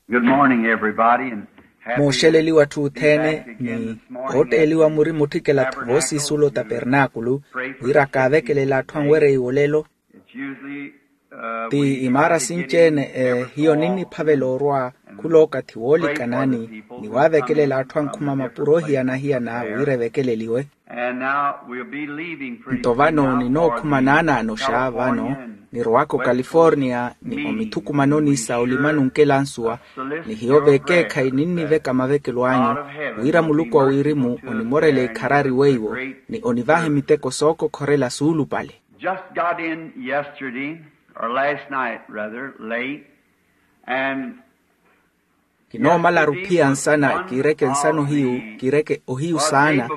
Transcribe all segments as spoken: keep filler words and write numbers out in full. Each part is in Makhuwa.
Good morning, everybody, and happy mooxeleliwa atthu othene ni ootteeliwa muri mutthikela-tho voosiisulo tapernaakulu, wira kaavekelela atthu anwereiwa olelo. Ti imaara sinci-ene hiyo ninniphavela orwa khula okathi woolikanani ni waavekelela atthu ankhuma mapuro ohiyana-hiyana wira evekeleliwe. Nto vano ninookhuma naanaanoxa vano, nirowaka ocalifornia ni omithukumanoni sa olimani onkelansuwa. Ni hiyo vekeekhayi ninniveka mavekelo anyu, wira muluku a wirimu onimorele ikharari weiwo ni onivahe miteko sookokhorela suulupale. Just got in yesterday, or last night rather, late, and kinoomalaru phiya nsana kiireke nsana ohiyu, kiireke ohiyu saana.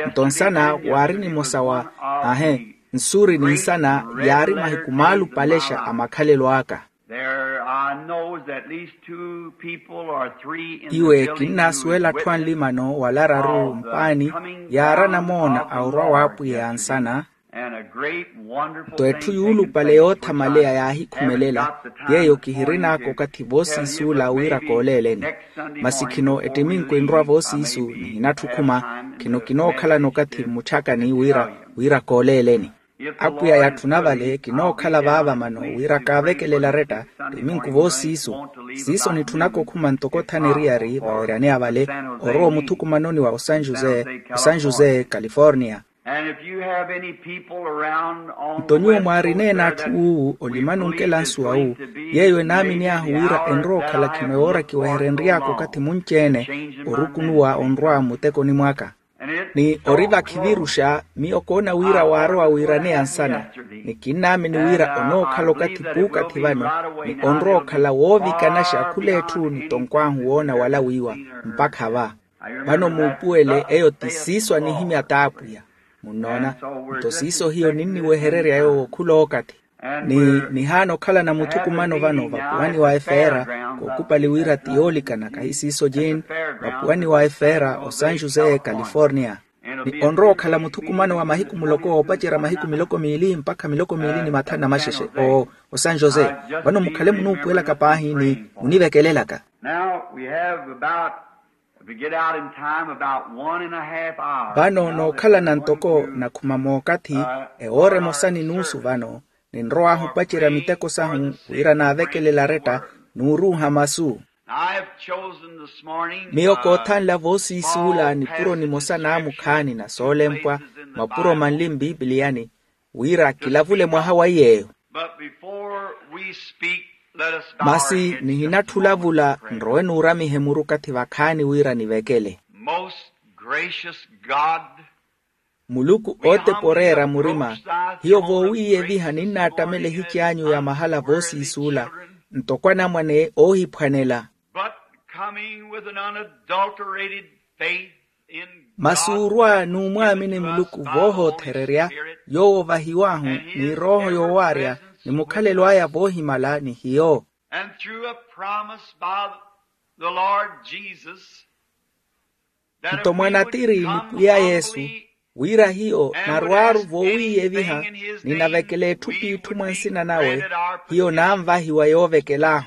Nto nsana waari nimosa wa ahe nsuuri ni nsana yaari mahiku maalupalexa a makhalelo aka. Iwe kinnaasuwela atthu anlimano wala araru mpaani yaari anamoona a orwa w'apwiya ya nsana. Nto etthu yuulupale yoothamaleya yaahikhumelela, yeeyo kihirin'aka okathi voosiisuula wira kooleeleni. Masi khino ettiminku enrwa voosiisu nihinatthi okhuma. Khino kinookhalana okathi mmuchakani wira wira kooleeleni. Apwiya yatthuna vale kinookhala vaava mano wira kaavekelela aretta. Ettiminku voosiisu siiso nitthunaka okhuma ntoko othana eriyari vaweryaneya vale, orowa omuthukumanoni wa osanjuze osanjuze california. Nto nyuwo mwaarineene atthu wuuwu olimani onkela nsuwa wu, yeeyo enaamini ahu wira enrowa okhala khino yoora kiweherenry'aka okathi munci-ene orukunuwa onrwa mmutekoni mwaka. Ni ori vakhiviruxa miyo koona wira waarowa wiiraneya nsana. Ni kinnaamini wira onookhala okathi puukathi vano ni onrowa okhala woovikanaxa khula etthu ni tonkw'ahu woona wala wiiwa mpakha va. Vano muupuwele eyo ti siiso anihimya t'apwiya. Munnoona? Nto siiso hiyo ninniwehererya yoowo khula okathi. Ni nihaana okhalana muthukumano vano vapuwani wa efeera, kookupali wira ti yoolikana kahi siiso jin, vapuwani wa efeera osanjuze california. Ni onrowa okhala muthukumano wa mahiku muloko oopacerya mahiku miloko miili mpakha miloko miili ni mathanu na maxexe. Osanjuze. Vano mukhale munuupuwelaka paahi ni munivekelelaka. Now we have about, if we get out in time, about one and a half hours. Vano nookhalana ntoko nakhuma mookathi ewoora emosa ni nuusu vano, ninrow'ahu opacerya miteko sahu wira naavekelela aretta n'uruuha masu. Miyo koothanla voosiisuula nipuro nimosa naamukhaani na soolempwa mapuro manli mpipiliyani, wira kilavule mwaha wa iy'eyo. Masi nihinatthi olavula nrowe nuuramihe muru okathi vakhaani wira nivekele. Muluku ootepa oreera murima, hiyo voowiiyeviha ninnaattamela ehici anyu ya mahala voosiisuula ntoko anamwane oohiphwanela. Masi orwa n'umwaamini muluku voohoothererya, yoowo ovahiw'ahu ni erooho yoowaarya ni mukhalelo aya voohimala ni hiyo. Nto mwanatiri ni pwiya yesu, wira hiyo narwaaru voowiiyeviha ni navekela etthu p'itthu mwa nsina nawe, hiyo naanvahiwa yoovekel'ahu.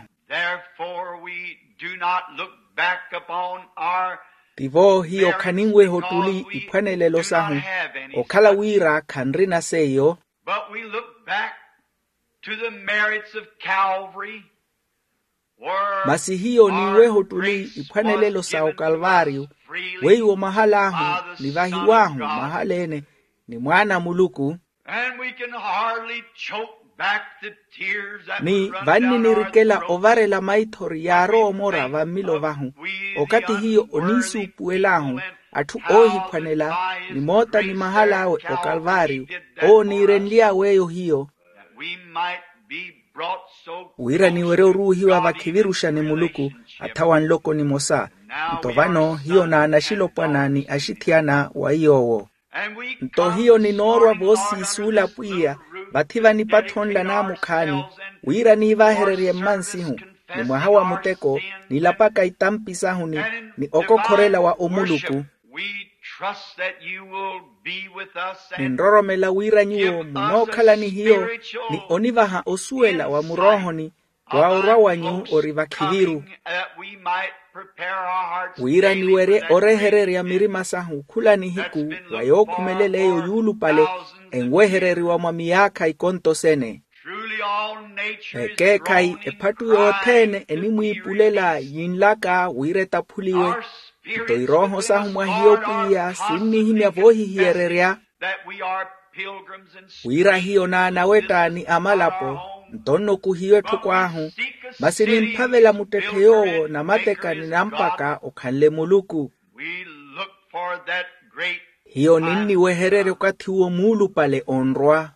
Tivo hiyo khaninweha ottuli iphwanelelo sahu, okhala wira khanrina seiyo. Masi hiyo ninweha ottuli iphwanelelo sa okalvario, weiwo mahal'ahu nivahiw'ahu mahal'ene ni mwaana a muluku. Ni vanni nirikela ovarela maithori yaarowa omora vammilo vahu, okathi hiyo oniisuupuwel'ahu atthu oohiphwanela, ni moota ni mahal'awe okalvario owo oniirenly'awe eyo hiyo, wira niwerye oruuhiwa vakhiviruxa ni muluku athawa nloko nimosa. Nto vano hiyo naanaxilopwana ni axithiyana wa iy'owo. Nto hiyo ninoorwa voosiisuula pwiya vathi vanipatthonla naamukhaani, wira niivahererye mmansihu ni mwaha wa muteko, nilapaka itampi sahu ni okokhorela wa omuluku. Ninroromela wira nyuwo munookhala ni hiyo ni onivaha osuwela wa muroohoni, wa orwa wanyu ori vakhiviru, wira niwerye orehererya mirima sahu khula nihiku wa yookhumelela eyo yuulupale enwehereriwa mwa miyaakha ikonto sene. Ekeekhayi ephattu yothene enimwiipulela yinlaka wira etaphuliwe. Nto irooho sahu mwa hiyo pwiya sinnihimya voohihiyererya wira hiyo n'anawetta ni amalapo, nto nnuku hiyo etthoko ahu. Masi nimphavela muttetthe yoowo namateka ni nampaka okhanle muluku. Hiyo ninniwehererya okathi uwo muulupale onrwa.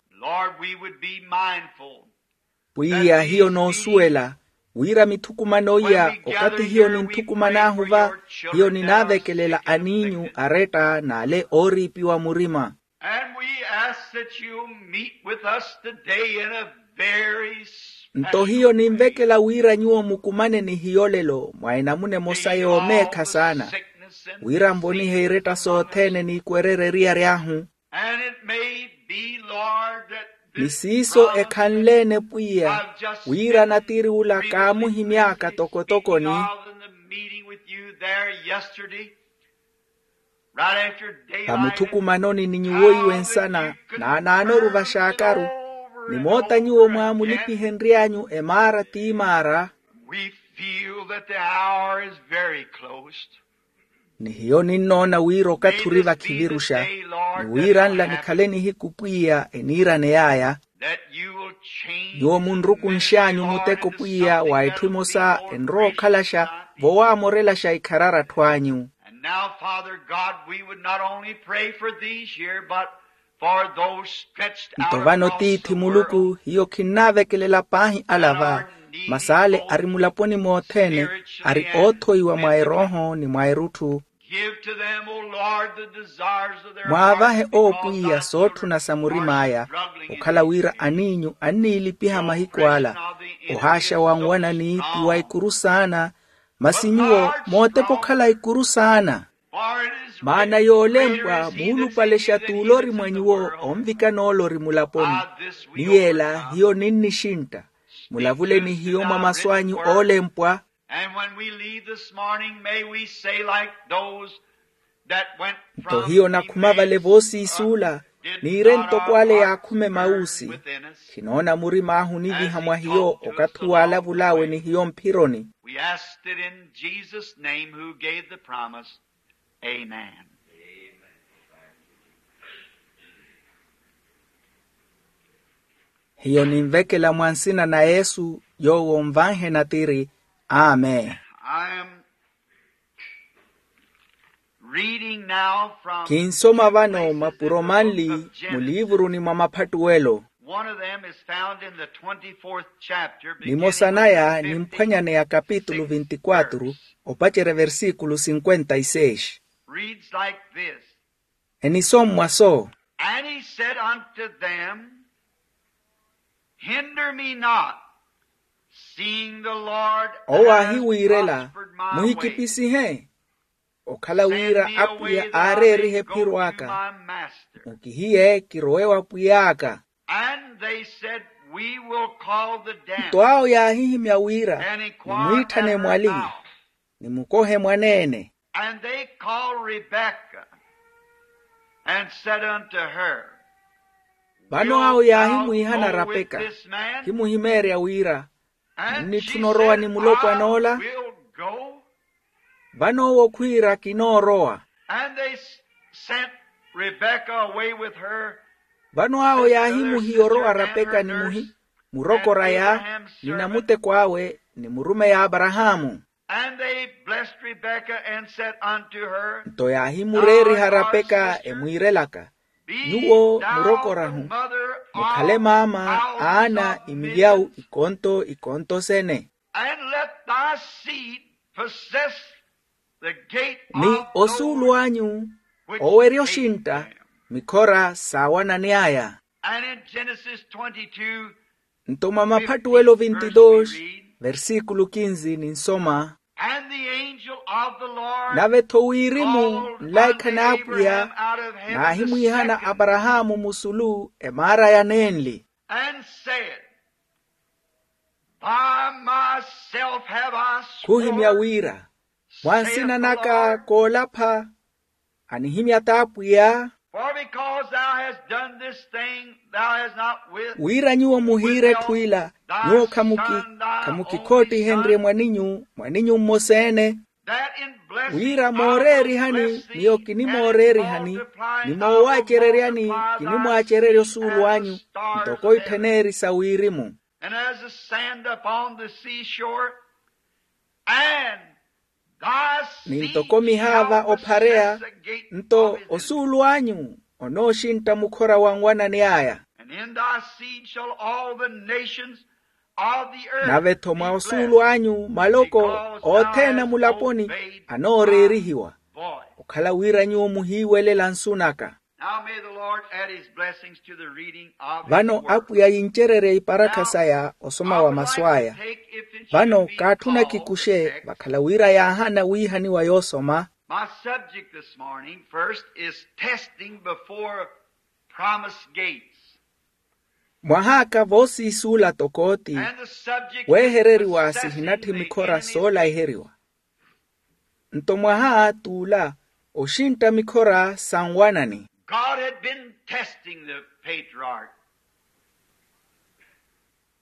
Pwiya hiyo noosuwela wira mithukumano iya okathi hiyo ninthukuman'ahu va, hiyo ninaavekelela aniinyu aretta n'ale ooriipiwa murima. Nto hiyo ninvekela wira nyuwo mukumane ni hiyo lelo mwa enamuna emosa yoomeekha saana, wira nvonihe iretta sothene n'ikwererya eriyari ahu. Ni siiso ekhanle-ene pwiya wira natiri ula kaamuhimy'aka tokotokoni. Vamuthukumanoni ni nyuwo iwe nsana naanaanoru vaxaakaru, nimoota nyuwo mwaamulipihenry'anyu emaara ti maara. Ni hiyo ninnoona wira okathi ori vakhiviruxa, ni wira nla nikhale nihiku pwiya eniiraney'aya. Nyuwo munrukunx'anyu muteko pwiya wa etthu emosa enrowa okhalaxa vowaamorelaxa ikharari atthu anyu. Nto vano tiithi muluku hiyo khinnaavekelela paahi ala va, masi ale ari mulaponi mothene, ari oothoiwa mwa erooho ni mwa erutthu. Mwaavahe owo pwiya sootthuna sa murim'aya, okhala wira aniinyu anniilipiha mahiku ala. Ohaaxa wanwanani ti wa ikuru saana, masi nyuwo mootepa okhala ikuru saana. Maana yoolempwa muulupalexa t'ulori mwa nyuwo onvikana olori mulaponi. Ni yeela hiyo ninnixintta, mulavule ni hiyo mwa masu anyu oolempwa. Nto hiyo nakhuma vale voosiisuula, niire ntoko ale yaakhuma emawuusi. Khinoona murim'ahu oniviha mwa hiyo okathi uwo aalavul'awe ni hiyo mphironi. Hiyo ninvekela mwa nsina na yesu yoowo onvanhe natiri. Amen. Kinsoma vano mapuro manli muliivuruni mwa maphattuwelo. Nimosa naya nimphwanyane ya kapitulu vinti-kwatru, opacerya versikulu sinkwenta-i-seis. Enisommwa so. And he said unto them, hinder me not, seeing the Lord owo aahiwiirela, muhikipisihe, okhala wira apwiya aareerihe ephiro aka. Mukihiye kirowe wa pwiy'aka. And they said, we will call the damsel. Nto awo yaahihimya wira, nimwiitthane mwali, nimukohe mwaneene. And they called Rebekah, and said unto her, vano awo yaahimwiihana rapeka, himuhimeerya wira, munnitthuna orowa ni mulopwana ola? Vano owo khwiira kinoorowa. And they sent Rebekah away with her. Vano awo yaahimuhiya orowa rapeka ni muhi, murokora ya, ni namuteko awe ni murumeyi aparahaamu. And they blessed Rebekah and said unto her, nto yaahimureeriha rapeka emwiirelaka, nyuwo murokorahu, mukhale maama aana imilyawu ikonto ikonto sene. And let thy seed possess the gate of the Lord, ni osuulu anyu owerya oxintta mikhora saawanani aya. And in Genesis twenty-two, nto mwa maphattuwelo vintidoox, versikulu kinzi ninsoma. And the angel of the Lord, nave-tho wirimu nlaikha n'apwiya naahimuhihana aparahaamu musulu emaara ya nenli. And said, By myself have I sworn, khuhimya wira, mwa nsina naka koolapha, anihimya t'apwiya. For because thou hast done this thing, thou hast not with, wira nyuwo muhiire etthu ila, nyuwo khamuki, khamukikhoottihenrye mwaninyu, mwaninyu mmosa-ene. That in blessing wira mooreerihani, miyo kinimooreerihani, ni moowacereryani, kinimwacererya osuulu anyu, ntoko itthaneeri sa wirimu. And as the sand upon the seashore, and thy seed shall possess the gate of Israel. Ni ntoko mihaava ophareya, nto osuulu anyu onooxintta mukhora wa nwanani aya. And in thy seed shall all the nations of the earth be blessed. Nave-tho mwa osuulu anyu maloko othene a mulaponi anooreerihiwa, okhala wira nyuwo muhiiwelela nsu naka. Now may the Lord add his blessings to the reading of his word. Vano apwiya yincererye iparakha saya osoma wa masu aya. Vano kaatthuna kikuxe vakhala wira yaahaana wiihaniwa yoosoma. My subject this morning first is testing before promised gates. Mwahaaka voosiisuula tokooti, weehereriwa sihinatthi mikhora soolaheriwa. Nto mwaha t'ula oxintta mikhora sa nwanani. God had been testing the patriarch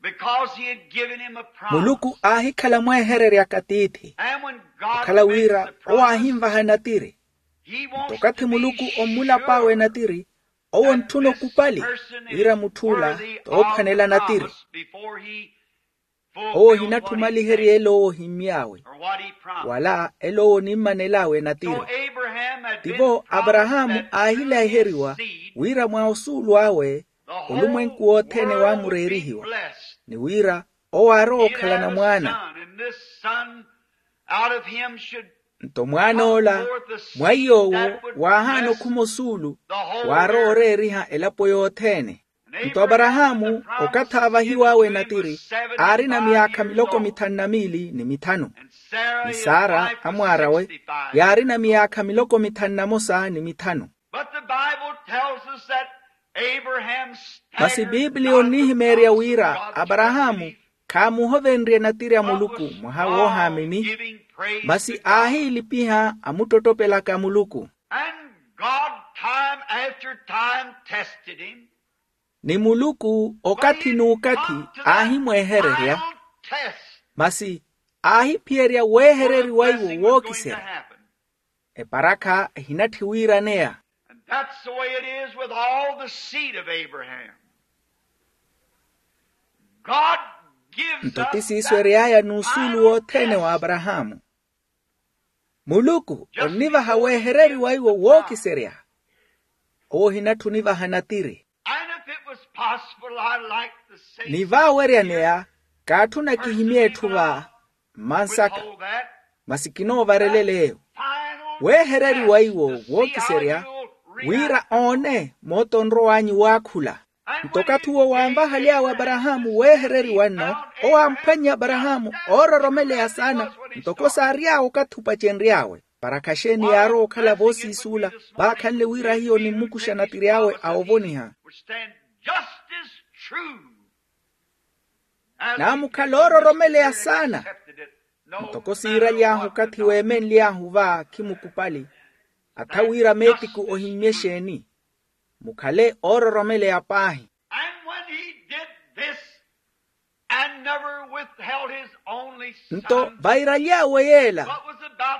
because he had given him a promise. Muluku aahikhala mweehereryaka tiithi, okhala wira owo aahinvaha natiri. Nto okathi muluku ommulap'awe natiri, owo ontthuna okupali wira mutth'ula t'ophwanela natiri. Owo ohinatthi omaliherya elo owo ohimmy'awe, wala elo owo onimmanel'awe natiri. Tivo aparahaamu aahilaheriwa wira mwa osuulu awe olumwenku wothene waamureerihiwa, ni wira owo aarowa okhalana mwaana. Nto mwaan'ola mwa iy'owo waahaana okhuma osuulu, waarowa oreeriha elapo yothene. Nto aparahaamu okathi aavahiw'awe natiri aarina myaakha miloko mithanu na miili ni mithanu, ni sara amwaar'awe yaarina myaakha miloko mithanu na mosa ni mithanu. Masi biipiliya onnihimeerya wira aparahaamu khaamuhovenrye natiri a muluku mwaha woohaamini, masi aahiilipiha amuttottopelaka muluku. Ni muluku okathi n'ukathi aahimweehererya, masi aahiphiyerya weehereriwa iwo wookiserya. Eparakha ehinatthi wiiraneya. Nto ti siiso ery'aya n'usuulu wothene wa aparahaamu. Muluku onnivaha weehereriwa iwo wookiserya. Owo ohinatthi onivaha natiri. Ni vaaweryaneya kaatthuna kihimye etthu va mmansaka, masi kinoovarelela eyo weehereriwa iwo wookiserya, wira oone moota onrow'anyu waakhula. Nto okathi uwo waanvahaly'awe aparahaamu weehereriwa nno, owo aamphwannye aparahaamu oororomeleya saana, ntoko saary'awe okathi opacenry'awe. Parakha xeeni yaarowa okhala voosiisuula vaakhanle wira hiyo onimmukuxa natiri awe a ovoniha? Naamukhala oororomeleya saana. Ntoko siiraly'ahu okathi weemenly'ahu va khimukupali, atha wira meetiku ohimmye xeeni? Mukhale oororomeleya paahi. Nto vairaly'awe yeela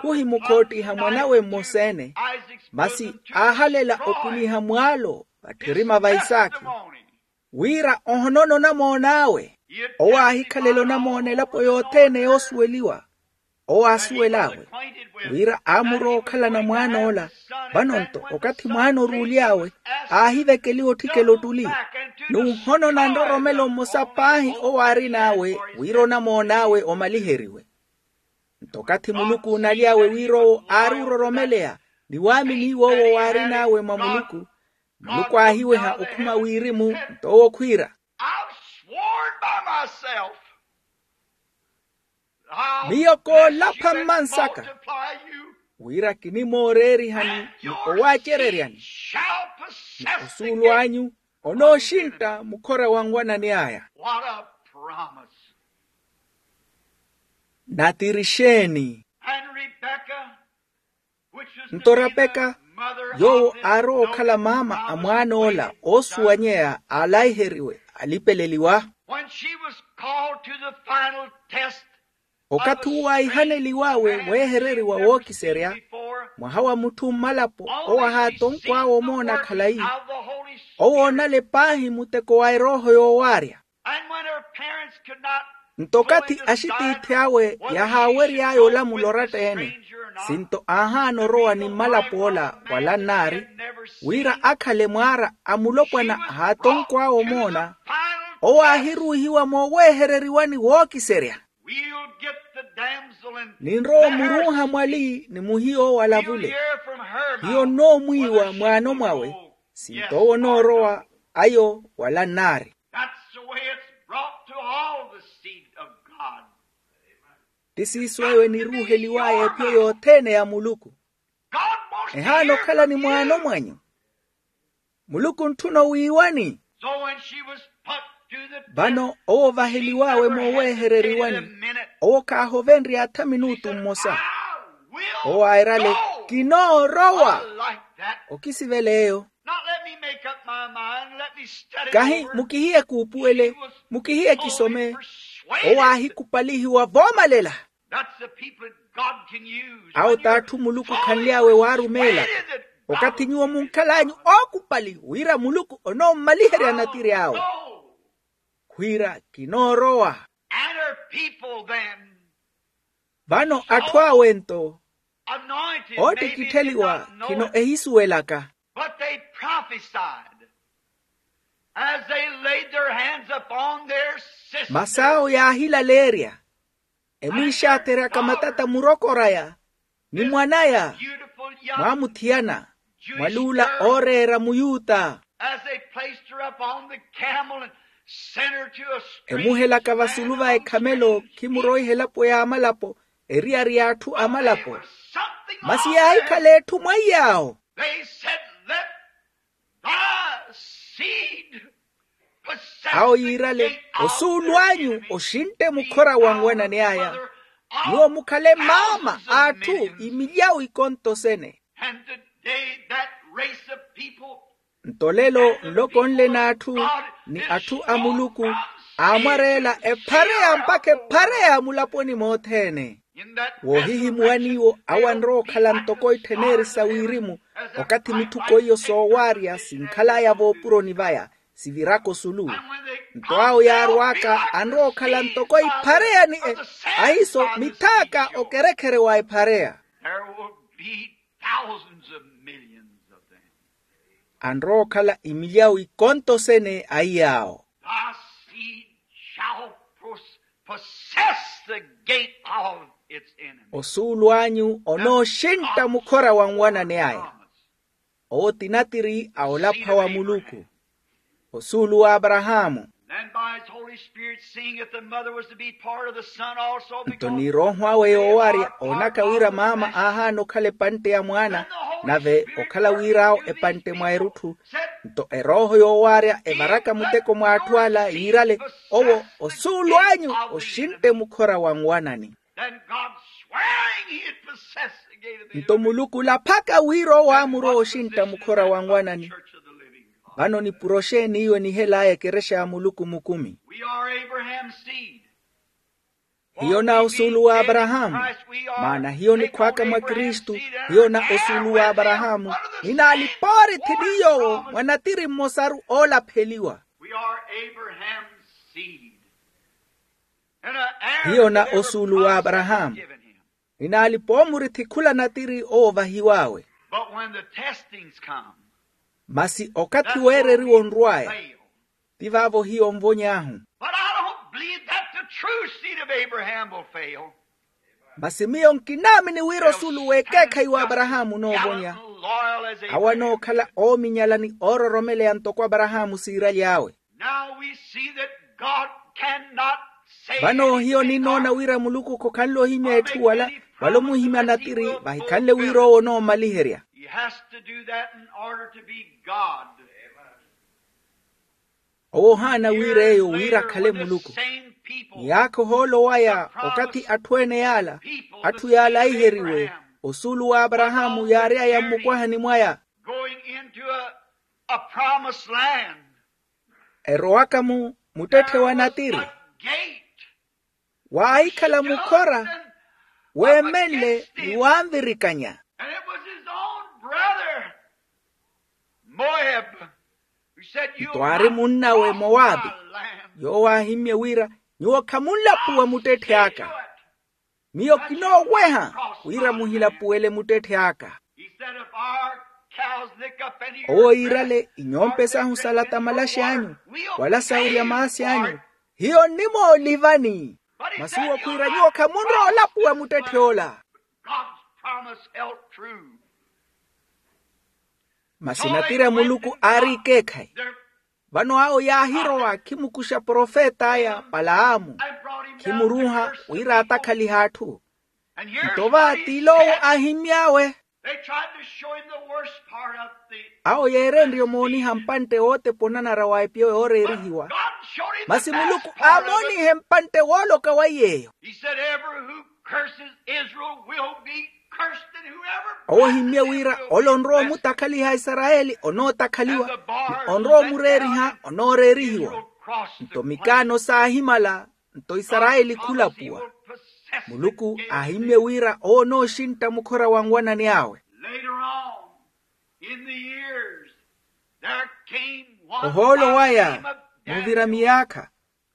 khuhimukhoottiha mwanawe mmosa-ene, masi aahalela opuniha mwaalo vatthirima va isaakhi, wira ohonoona onamoon'awe. Owo aahikhalela onamoona elapo yothene yoosuweliwa. Owo aasuwel'awe wira aamurowa okhalana mwaan'ola. Vano-nto okathi mwaana oruuly'awe aahivekeliwa otthikela ottuli, n'uhonoona nroromelo mmosa paahi owo aarin'awe wira onamoon'awe omaliheriwe. Nto okathi muluku oonaly'awe wira owo aari ororomeleya ni waamini iw'owo waarin'awe mwa muluku, muluku aahiweha okhuma wirimu. Nto owo khwiira, miyo koolapha mmansaka wira kinimooreerihani ni owaacereryani, ni osuulu anyu onooxintta mukhora wa nwanani aya. What a promise. Natiri xeeni? Nto rapeka, yoowo aarowa okhala maama a mwaan'ola oosuwanyeya aalaiheriwe alipeleliwa. Okathi uwo aihaneliwawe weehereriwa wookiserya, mwaha wa mutthu mmalapo owo ahaatonkw'awe omoona khalayi, owo oonale paahi muteko wa erooho yoowaarya. Nto okathi axitiithi awe yahaawery'aya olamula oratta-ene, sinto aahaana orowa ni mmalap'ola wala nnaari, wira akhale mwaara a mulopwana ahaatonkw'awe omoona, owo aahiruuhiwa mooweehereriwani wookiserya. Ninrowa omuruuha mwali ni muhiyo owalavule. Hiyo nnoomwiiwa mwaano mwawe, sinto owo onoorowa ayo wala nnaari. That's the way it's brought to all the seed of God. Ti siiso eyo eniruuheliw'aya ephiyo yothene ya muluku. God wants to ehaana hear okhala from ni mwaano you. Mwanyu. Muluku ontthuna owiiwani. So when she was put to the vano test, owo ovaheliw'awe she never hesitated a mooweehereriwani. Minute. Owo khaahovenrye atha minutu mmosa. I will owo airale go. Kinoorowa. I like that. Okisivela eyo. Not let me make up my mind. Let me study kahi over. Mukihiye kuupuwele, mukihiye kisome. Owo aahikupalihiwa voomalela. That's the people that God can use. Awo t'atthu muluku khanly'awe waarumeela. Okathi nyuwo munkhal'anyu ookupali wira muluku onoommaliherya natiri awe, khwiira kinoorowa. And her people then. Vano atthu awe nto oottikittheliwa khino ehisuwelaka. But they prophesied as they laid their hands upon their sister. Masi awo yaahilaleerya emwiixaatheryaka matata murokor'aya ni mwan'aya, mwaamuthiyana mwali ula ooreera muyuta. As they placed her upon the camel and sent her to a stream. Emuhelaka vasulu va ekhamelo khimuroiha elapo y'amalapo, eriyari y'atthu amalapo. Masi yaahikhala etthu mwaiy'awo. They said, let thy seed possess. Awo yiirale, osuulu anyu oxintte mukhora wa nwanani aya. Nyuwo mukhale maama a atthu imilyawu ikontosene. And today that race of people. Nto lelo nloko nle n'atthu ni atthu a muluku aamwareela ephareya mpakha ephareya mulaponi mothene. Woohihimuwani iwo awo anrowa okhala ntoko ittheneri sa wirimu, okathi mithuko iyo soowaarya sinkhal'aya voopuroni vaya siviraka osulu. Nto awo yaarw'aka anrowa okhala ntoko iphareya ni ahiiso mithaaka okerekhere wa ephareya. There will be thousands of millions of them. Anrowa okhala imilyawu ikontosene a iy'awo. Thy seed shall pos- possess the gate of its enemy. Osuulu anyu onooxintta mukhora wa nwanani aya. Owo ti natiri a olapha wa muluku. Osuulu w'aparahaamu. Then by his Holy Spirit, seeing that the mother was to be part of the son also, nto ni erooho awe yoowaarya oonaka wira maama aahaana okhala epantte ya mwaana, nave okhala wir'awo epantte mwa erutthu. Nto erooho yoowaarya evaraka muteko mwa atthu ala yiirale, owo osuulu anyu oxintte mukhora wa nwanani. Then God swearing he had possessed the gate of the enemy. Nto muluku olaphaka wira owo aamurowa oxintta mukhora wa nwanani. Vano nipuro xeeni iyo enihel'aya ekerexa ya muluku mukumi? We are Abraham's seed. Hiyo na osuulu w'aparahaamu. Maana hiyo nikhw'aka mwa kristu. Hiyo na osuulu w'aparahaamu. Ninaalipa oorithi ni yoowo mwa natiri mmosaru oolapheliwa. We are Abraham's seed. Hiyo na osuulu w'aparahaamu. Ninaalipa omurithi khula natiri owo ovahiw'awe. But when the testings come, masi okathi weereriwa onrw'aya, ti vaavo hiyo onvony'ahu. But I don't believe that the true seed of Abraham will fail. Masi miyo nkinaamini wira osuulu w'ekeekhayi w'aparahaamu onoovonya. Awo anookhala oominyala ni oororomeleya ntoko aparahaamu siiraly'awe. Now we see that God cannot save. Vano hiyo ninnoona wira muluku khokhanle ohimya etthu wala, wala omuhimya natiri vahikhanle wira owo onoomaliherya. He has to do that in order to be God. Owo ohaana wira eyo wira akhale muluku. Ni yaakha ohoolo waya okathi atthu ene yaala, atthu yaala aiheriwe, osuulu w'aparahaamu yaary'aya mmukwahani mwaya. Going into a, a promised land. Erowaka mu muttetthe wa natiri. Gate. Waahikhala mukhora weemenle ni wanvirikanya. And it was his own brother, Moab, who said, "You'll not." Nto aari munnawe mowabi, yoowo aahimmye wira, "Nyuwo khamunlapuwa muttetthe aka. Miyo kinooweha wira muhilapuwele muttetthe aka." He said, "If our cows lick up any of your grass, owo iirale inyompe sahu salata malaxi anyu, wala sawurya maasi anyu, hiyo nnimoolivani. Masi uwo khwiira nyuwo khamunroolapuwa muttetthe ola." God's promise held true. Masi natiri a muluku aari ikeekhayi. Vano awo yaahirowa khimukuxa profet'aya palaamu, khimuruuha wira atakhalihe atthu. Nto va t'iloowo aahimmy'awe. They tried to show him the worst part of the. Awo yeerenrye omooniha mpantte wootepa onanara wa epiyo yooreerihiwa. Masi muluku aamoonihe mpantte wooloka wa iy'eyo. He said, "Every who curses Israel will be cursed, and whoever." Owo ohimmye wira ole onrowa omutakhaliha isarayeli onootakhaliwa, ni onrowa omureeriha onooreerihiwa. Nto mikaano saahimala, nto isarayeli khulapuwa. Muluku aahimmye wira owo onooxintta mukhora wa nwanani awe. Later on, in the years, there came one. Ohoolo waya, muvira miyaakha,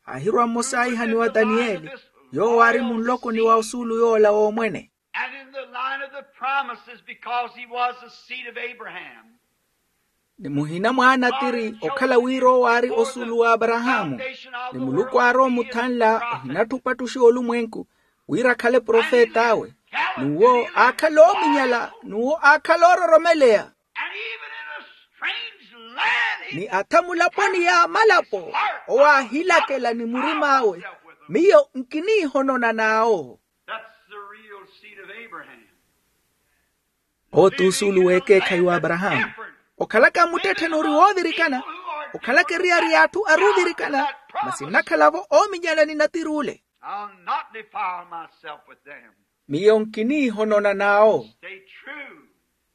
aahirwa mmosa aihaniwa taniyeli, yoowo aari munlokoni wa osuulu yoola w'omwene. And in the line of the promises, because he was the seed of Abraham. Ni muhina mwa anatiri okhala wira owo aari osuulu w'aparahaamu, ni muluku aarowa omuthanla ohinatthupa attuxiwa olumwenku, wira akhale profet'awe, n'uwo aakhala oominyala n'uwo aakhala oororomeleya. And even in a strange land, ni atha mulaponi y'amalapo, owo aahilakela ni murim'awe, miyo nkiniihonona n'awo. That's the real seed of Abraham. Owo t'usuulu w'ekeekhayi w'aparahaamu. Okhalaka muttetthe n'uri woovirikana, okhalaka eriyari y'atthu aruvirikana, masi nnakhala-vo oominyana ni natiri ule. I'll not defile myself with them. Miyo nkiniihonona n'awo. Stay true.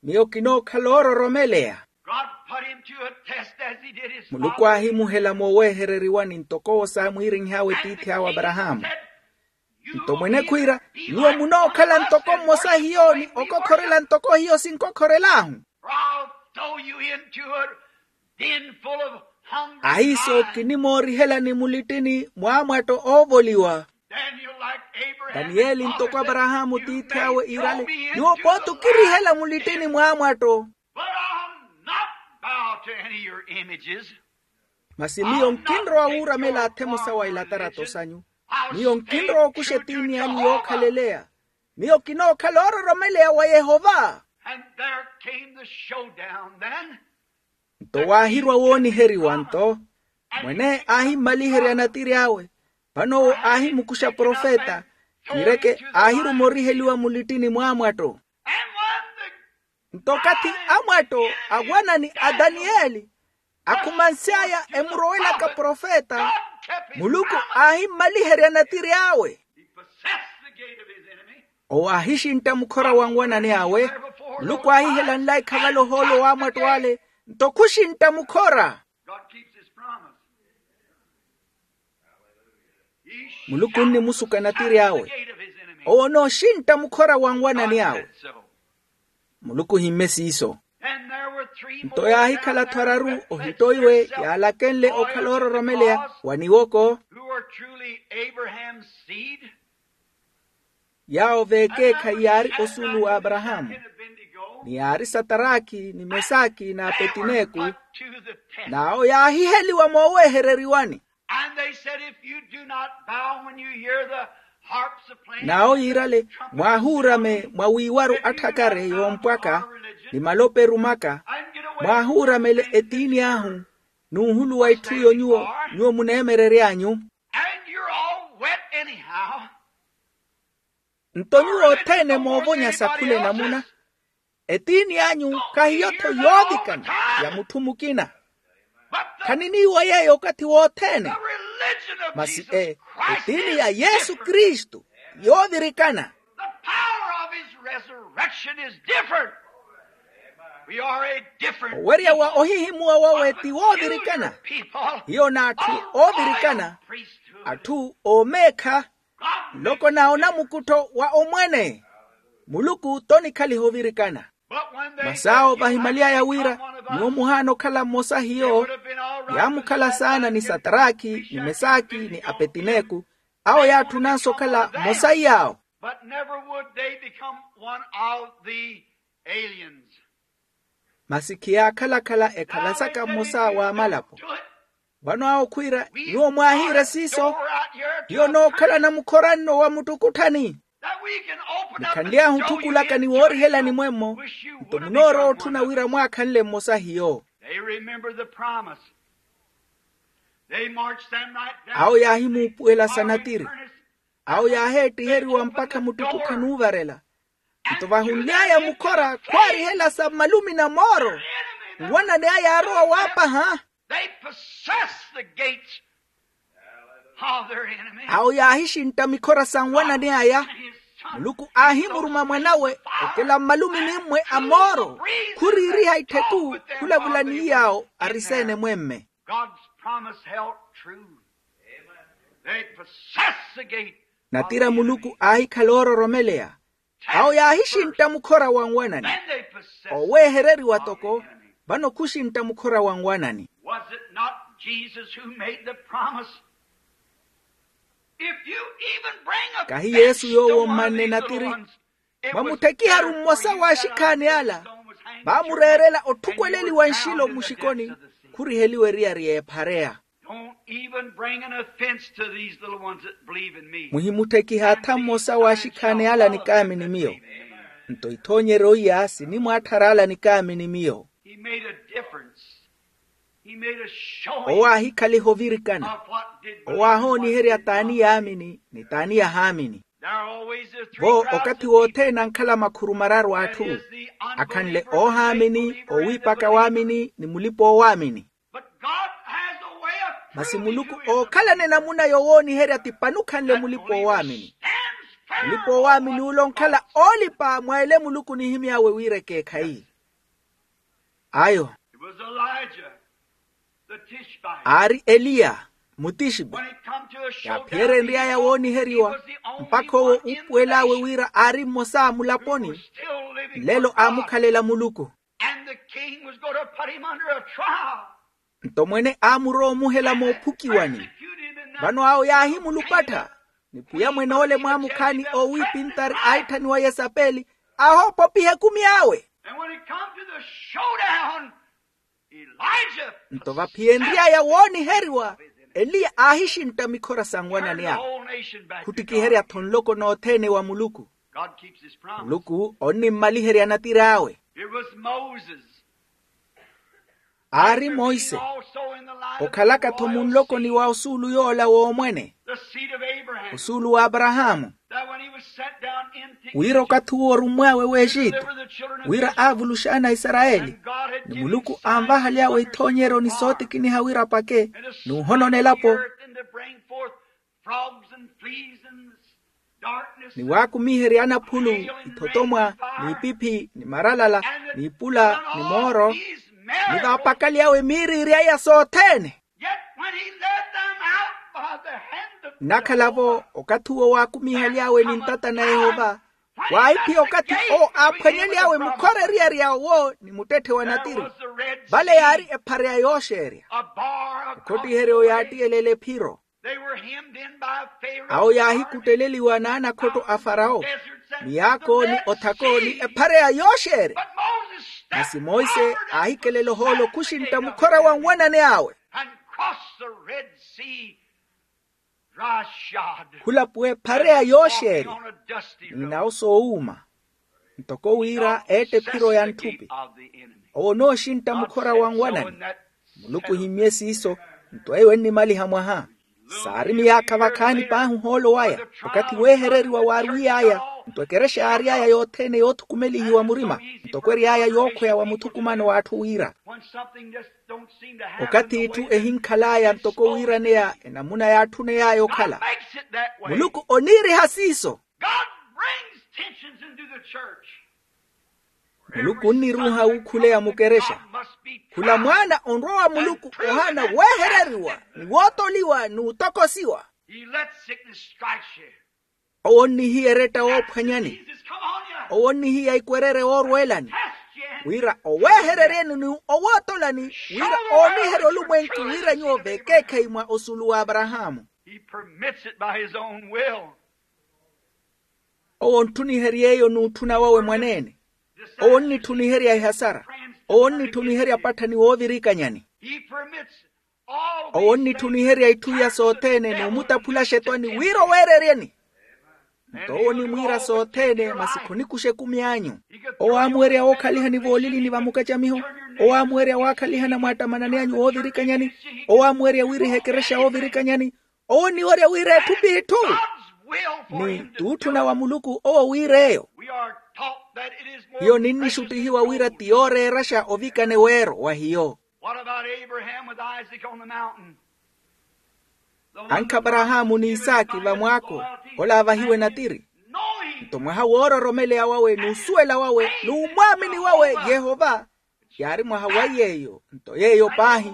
Miyo kinookhala oororomeleya. God put him to a test as he did his father. Muluku aahimuhela moowehereriwani ntoko owo saamwiirinh'awe tiithi awe aparahaamu. Nto mwene khwiira, nyuwo munookhala ntoko mmosa hiyo ni okokhorela ntoko hiyo sinkokhorel'ahu. Ahiiso kinimoorihelani mulittini mw'amwatto oovoliwa. Taniyeli ntoko aparahaamu tiithi awe iirale, nyuwo pooti okirihela mulittini mw'amwatto. Masi miyo nkinrowa wuuramela athe emosa wa ilatarato sanyu. Miyo nkinrowa okuxa etiini anyu yookhaleleya. Miyo kinookhala oororomeleya wa yehova. Nto waahirwa wooniheriwa nto, mwene aahimmaliherya natiri awe. Vano owo aahimukuxa profeta, kiireke aahiruma oriheliwa mulittini mw'amwatto. Nto okathi amwatto awanani a taniyeli akhumansy'aya emurowelaka profeta, muluku aahimmaliherya natiri awe. Owo aahixintta mukhora wa nwanani awe. Muluku aahihela nlaikha vale ohoolo w'amwatto ale, nto khuxintta mukhora. Muluku onnimusuka natiri awe. Owo onooxintta mukhora wa nwanani awe. Muluku ohimme siiso. Nto yaahikhala-tho araru ohittoiwe yaalakenle okhala oororomeleya wa niwoko. Yaawo v'ekeekhayi yaari osuulu w'aparahaamu, ni yaari sataraki ni mesaki n'apetineku. N'awo yaahiheliwa moowehereriwani. N'awo yiirale, mwaahuurame mwa wiiwaru atthakare yoompwaka ni malope erumaka, mwaahuuramele etiini ahu, n'uhuluwa itthu iyo nyuwo muneemerery'anyu. Nto nyuwo othene moovonya sa khula enamuna. Etiini anyu khahiyo-tho yoovikana ya mutthu mukina. Khaniniiwa yeeyo okathi wothene. Masi e etiini ya yesu kristu yoovirikana. The power of his resurrection is different. We are a different owerya wa ohihimuwa wawe ti woovirikana. Hiyo n'atthu oovirikana. Atthu oomeekha. Nloko na onamukuttho wa omwene. Muluku t'onikhaliha ovirikana. Masi awo vahimyaly'aya wira nyuwo muhaana okhala mmosa hiyo. Yaamukhala saana ni sataraki ni mesaki ni apetineku. Awo yaatthunanso okhala mmosa iy'awo. But never would they become one of the aliens. Masi khiyaakhala-khala ekhalasaka mmosa w'amalapo. Vano awo khwiira nyuwo mwaahiire siiso. Hiyo nookhala namukhora nno wa muttukutthani. Mukhanly'ahu otthukulaka ni woorihelani mwemmo. Nto munoorowa otthuna wira mwaakhanle mmosa hiyo. Awo yaahimuupuwela sa natiri. Awo yaaheettiheriwa mpakha muttukutthani uuvarela. Nto vahunly'aya mukhora khwaarihela sa mmalumi na mooro. Nwanani aya yaarowa waapaha. Awo yaahixintta mikhora sa nwanani aya. Muluku aahimuruma mwan'awe okela mmalumi nimmwe a mooro. Khuriiriha ittheku khulavula ni yaawo ariseene mwemme. God's promise held true. They possessed the gate. Natira muluku aahikhala oororomeleya. Awo yaahixintta mukhora wa nwanani. Oweehereriwa toko. Vano khuxintta mukhora wa nwanani. Was it not Jesus who made the promise? If you even bring a kahi yesu yoowo mmanne natiri. Mwamutthekiharu mmosa w'axikhaani ala. Vaamureerela otthukweleliwa nxilo mmuxikoni. Khuriheliwa eriyari y'ephareya. Don't even bring an offense to these little ones that believe in me. Muhimutthekiha atha mmosa w'axikhaani ala nikaamini miyo. Nto ithoonyeryo iya sinimwaatthara ala nikaamini miyo. He made a difference. He made a showing. Owo aahikhaliha ovirikana. Owo aahooniherya t'ani yaamini ni t'ani yahaamini. Vo okathi wothene ankhala makhuru mararu a atthu. Akhanle oohaamini owiipaka waamini ni mulipa-oowaamini. Masi muluku ookhalana enamuna yowooniherya ti panukhanle mulipa-oowaamini. Mulipa-oowaamini ule onkhala oolipa mwa ele muluku onihimy'awe wira ekeekhayi. Ayo aari eliya mutixbi. Yaaphiyerya enry'aya wooniheriwa mpakha owo uupuwel'awe wira aari mmosa a mulaponi. Nlelo aamukhalela muluku. Nto mwene aamurowa omuhela moophukiwani. Vano awo yaahimulupattha. Ni pwiya mwen'ole mwaamukhaani oowiipintari aahitthaniwa yesapeli aahoopopiha ekumi awe. Nto vaphiyenry'aya wooniheriwa eliya aahixintta mikhora sa nwanani awe. Khuttikiherya-tho nloko nothene wa muluku. Muluku onnimmaliherya natiri awe. Aari monse okhalaka-tho munlokoni wa osuulu yoola w'omwene osuulu w'aparahaamu. Wira okathi uwo orummw'awe w'exitu wira aavulux'ana aisarayeli ni muluku anvahaly'awe ithoonyeryo ni sootikiniha wira apake n'uhonona elapo. Ni waakumiherya anaphulu, ithotomwa, n'ipiphi ni maralala, n'ipula ni mooro ni vaapakaly'awe miiriiri aya sothene. Nnakhala-vo okathi uwo waakumihaly'awe ni ntata na yehova waahiphiya okathi owo aaphwanyely'awe mukhora eriyari ya owo ni muttetthe wa natiri. Vale yaari ephareya yooxeerya. Okhottiheryo yaattiyelele ephiro. Awo yaahikutteleliwa n'anakhotto a farawo, miyaako ni othako ni ephareya yooxeerya. Masi monse aahikelela ohoolo khuxintta mukhora wa nwanani awe. Khulapuwa ephareya yooxeerya n'inawo soowuuma. Ntoko wira eette ephiro ya ntthupi owo onooxintta mukhora wa nwanani. Muluku ohimmye siiso. Nto eyo ennimaliha mwaha saari miyaakha vakhaani paahi ohoolo waya okathi weehereriwa waarwiy'aya. Nto ekerexa yaary'aya yothene yoothukumelihiwa murima ntoko ery'aya yookhweya wa muthukumano w'atthu wira Okathi itthu ehinkhal'aya ntoko wiiraneya enamuna yaatthuney'aya okhala. Muluku oniiriha siiso. Muluku onniruuha wuukhuleya mukerexa. Khula mwaana onrwa wa muluku ohaana weehereriwa ni wootoliwa n'utokosiwa. Owo onnihiya eretta woophwanyani. Owo onnihiya ikwerere woorweelani, wira oweehereryeni ni owootolani, wira ooniherya olumwenku wira nyuwo vekeekhayi mwa osulu w'aparahaamu. Owo ontthunihery'eyo n'utthuna wawe mwaneene. Owo onnitthuniherya ehasara. Owo onnitthuniherya patthani woovirikanyani. Owo onnitthuniherya itthu iya sothene n'umutaphula axetwani wira oweereryeni. Nto owo onimwiira sothene masi khonikuxa ekumi anyu. Owo aamuwerya wookhalihani voolilini va mukacamiho. Owo aamuwerya waakhalihana mwattamanani anyu woovirikanyani. Owo aamuwerya wiiriha ekerexa woovirikanyani. Owo onniwerya wira etthu p'itthu. Ni t'utthuna wa muluku owo wiir'eyo. Hiyo ninnixuttihiwa wira ti yooreeraxa ovikane weero wa hiyo. Ankha aparahaamu n'isaki vamwaako, ola aavahiwe natiri. Nto mwaha woororomeleya wawe n'usuwela wawe n'umwaamini wawe yehova, yaari mwaha wa yeeyo nto yeeyo paahi.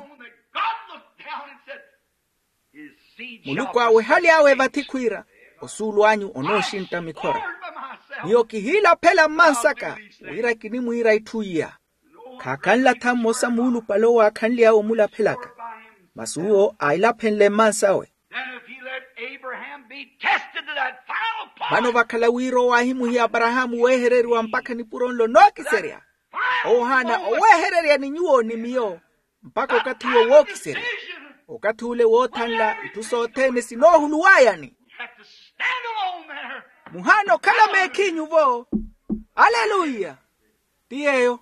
Muluku aawehaly'awe vathi khwiira, osuulu anyu onooxintta mikhora. Miyo kihiilaphela mmansaka wira kinimwiira itthu iya. Khaakanla tha mmosa muulupale owo aakhanly'awe omulaphelaka, masi uwo ailaphenle mmansawe. Vano vakhala wira owo aahimuhiya aparahaamu weehereriwa mpakha nipuro nlo nookiserya, owo ohaana oweehererya ni nyuwo ni miyo mpakha okathi uwo wookiserya. Okathi ule woothanla itthu sothene sinoohuluw'ayani. Muhaana okhala meekhinyu-vo. Aleluya. Ti yeeyo.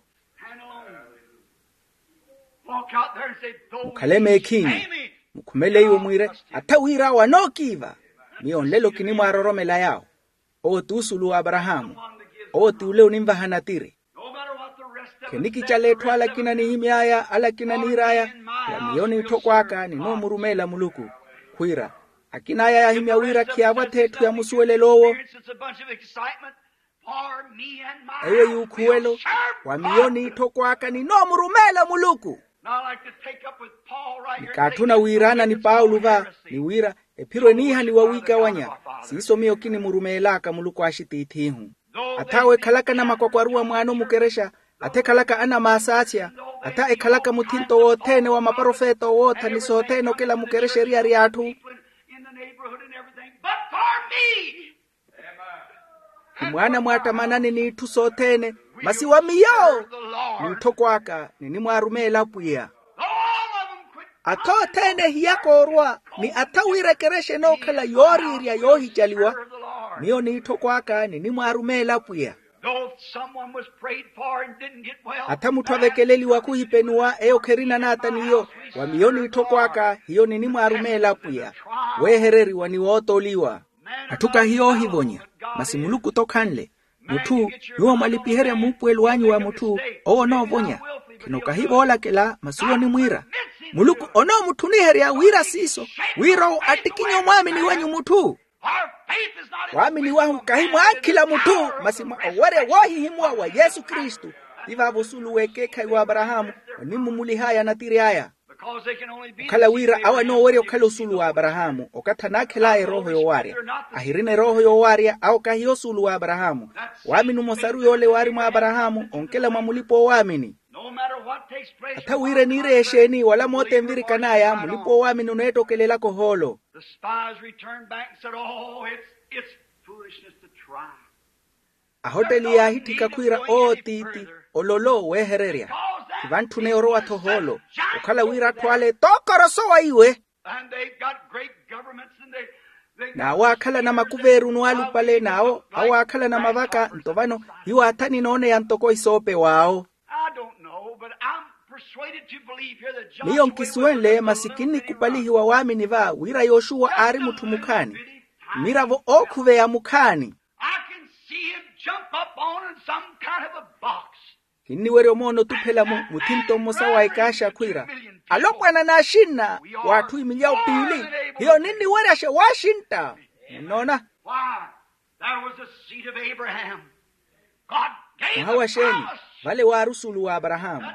Mukhale meekhinyu, mukhumele iwo mwiire, atha wira awo anookiiva. Miyo nlelo kinimwaaroromela yaawo. Owo ti osulu w'aparahaamu. Owo ti ole onimvaha natiri. Khenikicala etthu ala akina anihimy'aya ala akina aniir'aya, wa miyo n'itthokw'aka ninoomurumeela muluku. Khwiira, akin'aya yaahimya wira khiyaavwathe etthu ya musuwelelo owo. Eyo yuukhuwelo, wa miyo n'itthokw'aka ninoomurumeela muluku. Nikaatthuna wiiraana ni paulo va, ni wira ephiro eniihaniwa wiikawanya. Siiso miyo kinimurumeel'aka muluku axitiith'ihu. Atha awo ekhalaka anamakwakwaruwa mwaano mukerexa, atha ekhalaka anamaasaathya, atha ekhalaka muthinto wothene wa maprofeta owootha ni sothene okela mukerexa eriyari y'atthu. Ni mwaana mwaattamanani n'itthu sothene, masi wa miyo n'itthokw'aka ninimwaarumeela apwiya. Atha othene ehiyaka orwa ni atha wira ekerexa enookhala yooriirya yoohicaliwa. Miyo n'itthokw'aka ninimwaarumeela apwiya. Atha mutthu avekeleliwa khuhipenuwa eyo kherina n'ata n'iyo. Wa miyo n'itthokw'aka hiyo ninimwaarumeela apwiya, weehereriwa ni wootoliwa. Atthu kahi yoohivonya, masi muluku t'okhanle. Mutthu, nyuwo mwalipiherya muupuwelo anyu wa mutthu, owo onoovonya. Khino kahi voolakela masi owo onimwiira, muluku onoomutthuniherya wira siiso, wira owo attikinye omwaamini wenyu mutthu. Waamini wahu kahi mwa ankhila mutthu, masi mwa owerya woohihimuwa wa yesu kristu. Ti vaavo osulu w'ekeekhayi w'aparahaamu onimmumulih'aya natiri aya. Okhala wira awo anoowerya okhala osulu w'aparahaamu okathi anaakhel'aya erooho yowaarya. Ahirina erooho yowaarya awo kahiyo osulu w'aparahaamu. Waamini omosaru yoole waari mwa aparahaamu onkela mwa mulipa-oowaamini. Atha wira eniire exeeni wala moota envirikan'aya mulipa-oowaamini oneettokelelaka ohoolo. Ahotteli yaahitthika khwiira owo tiiti, ololo weehererya. Ti vantthune orowa-tho ohoolo, okhala wira atthu ale tookorosowa iwe. N'awo aakhalana makuveerunu alupale n'awo awo aakhalana mavaka nto vano hiyo atha ninooneya ntoko isoopew'awo. Miyo nkisuwenle masi kinnikupalihiwa waamini va wira yoxuwa aari mutthu mukhaani, mmiravo ookhuveya mukhaani. I can see him jump up on some kind of a box. Kinniwerya omoona otuphela-mo muthinto mmosa wa ekaaxa khwiira, alopwana n'axinna w'atthu imilyawu piili. Hiyo ninniweryasha waaxintta. Munnoona? Why? There was a seed of Abraham. God gave mwaha wa the xeeni promise. Vale waari osuulu wa aparahaamu.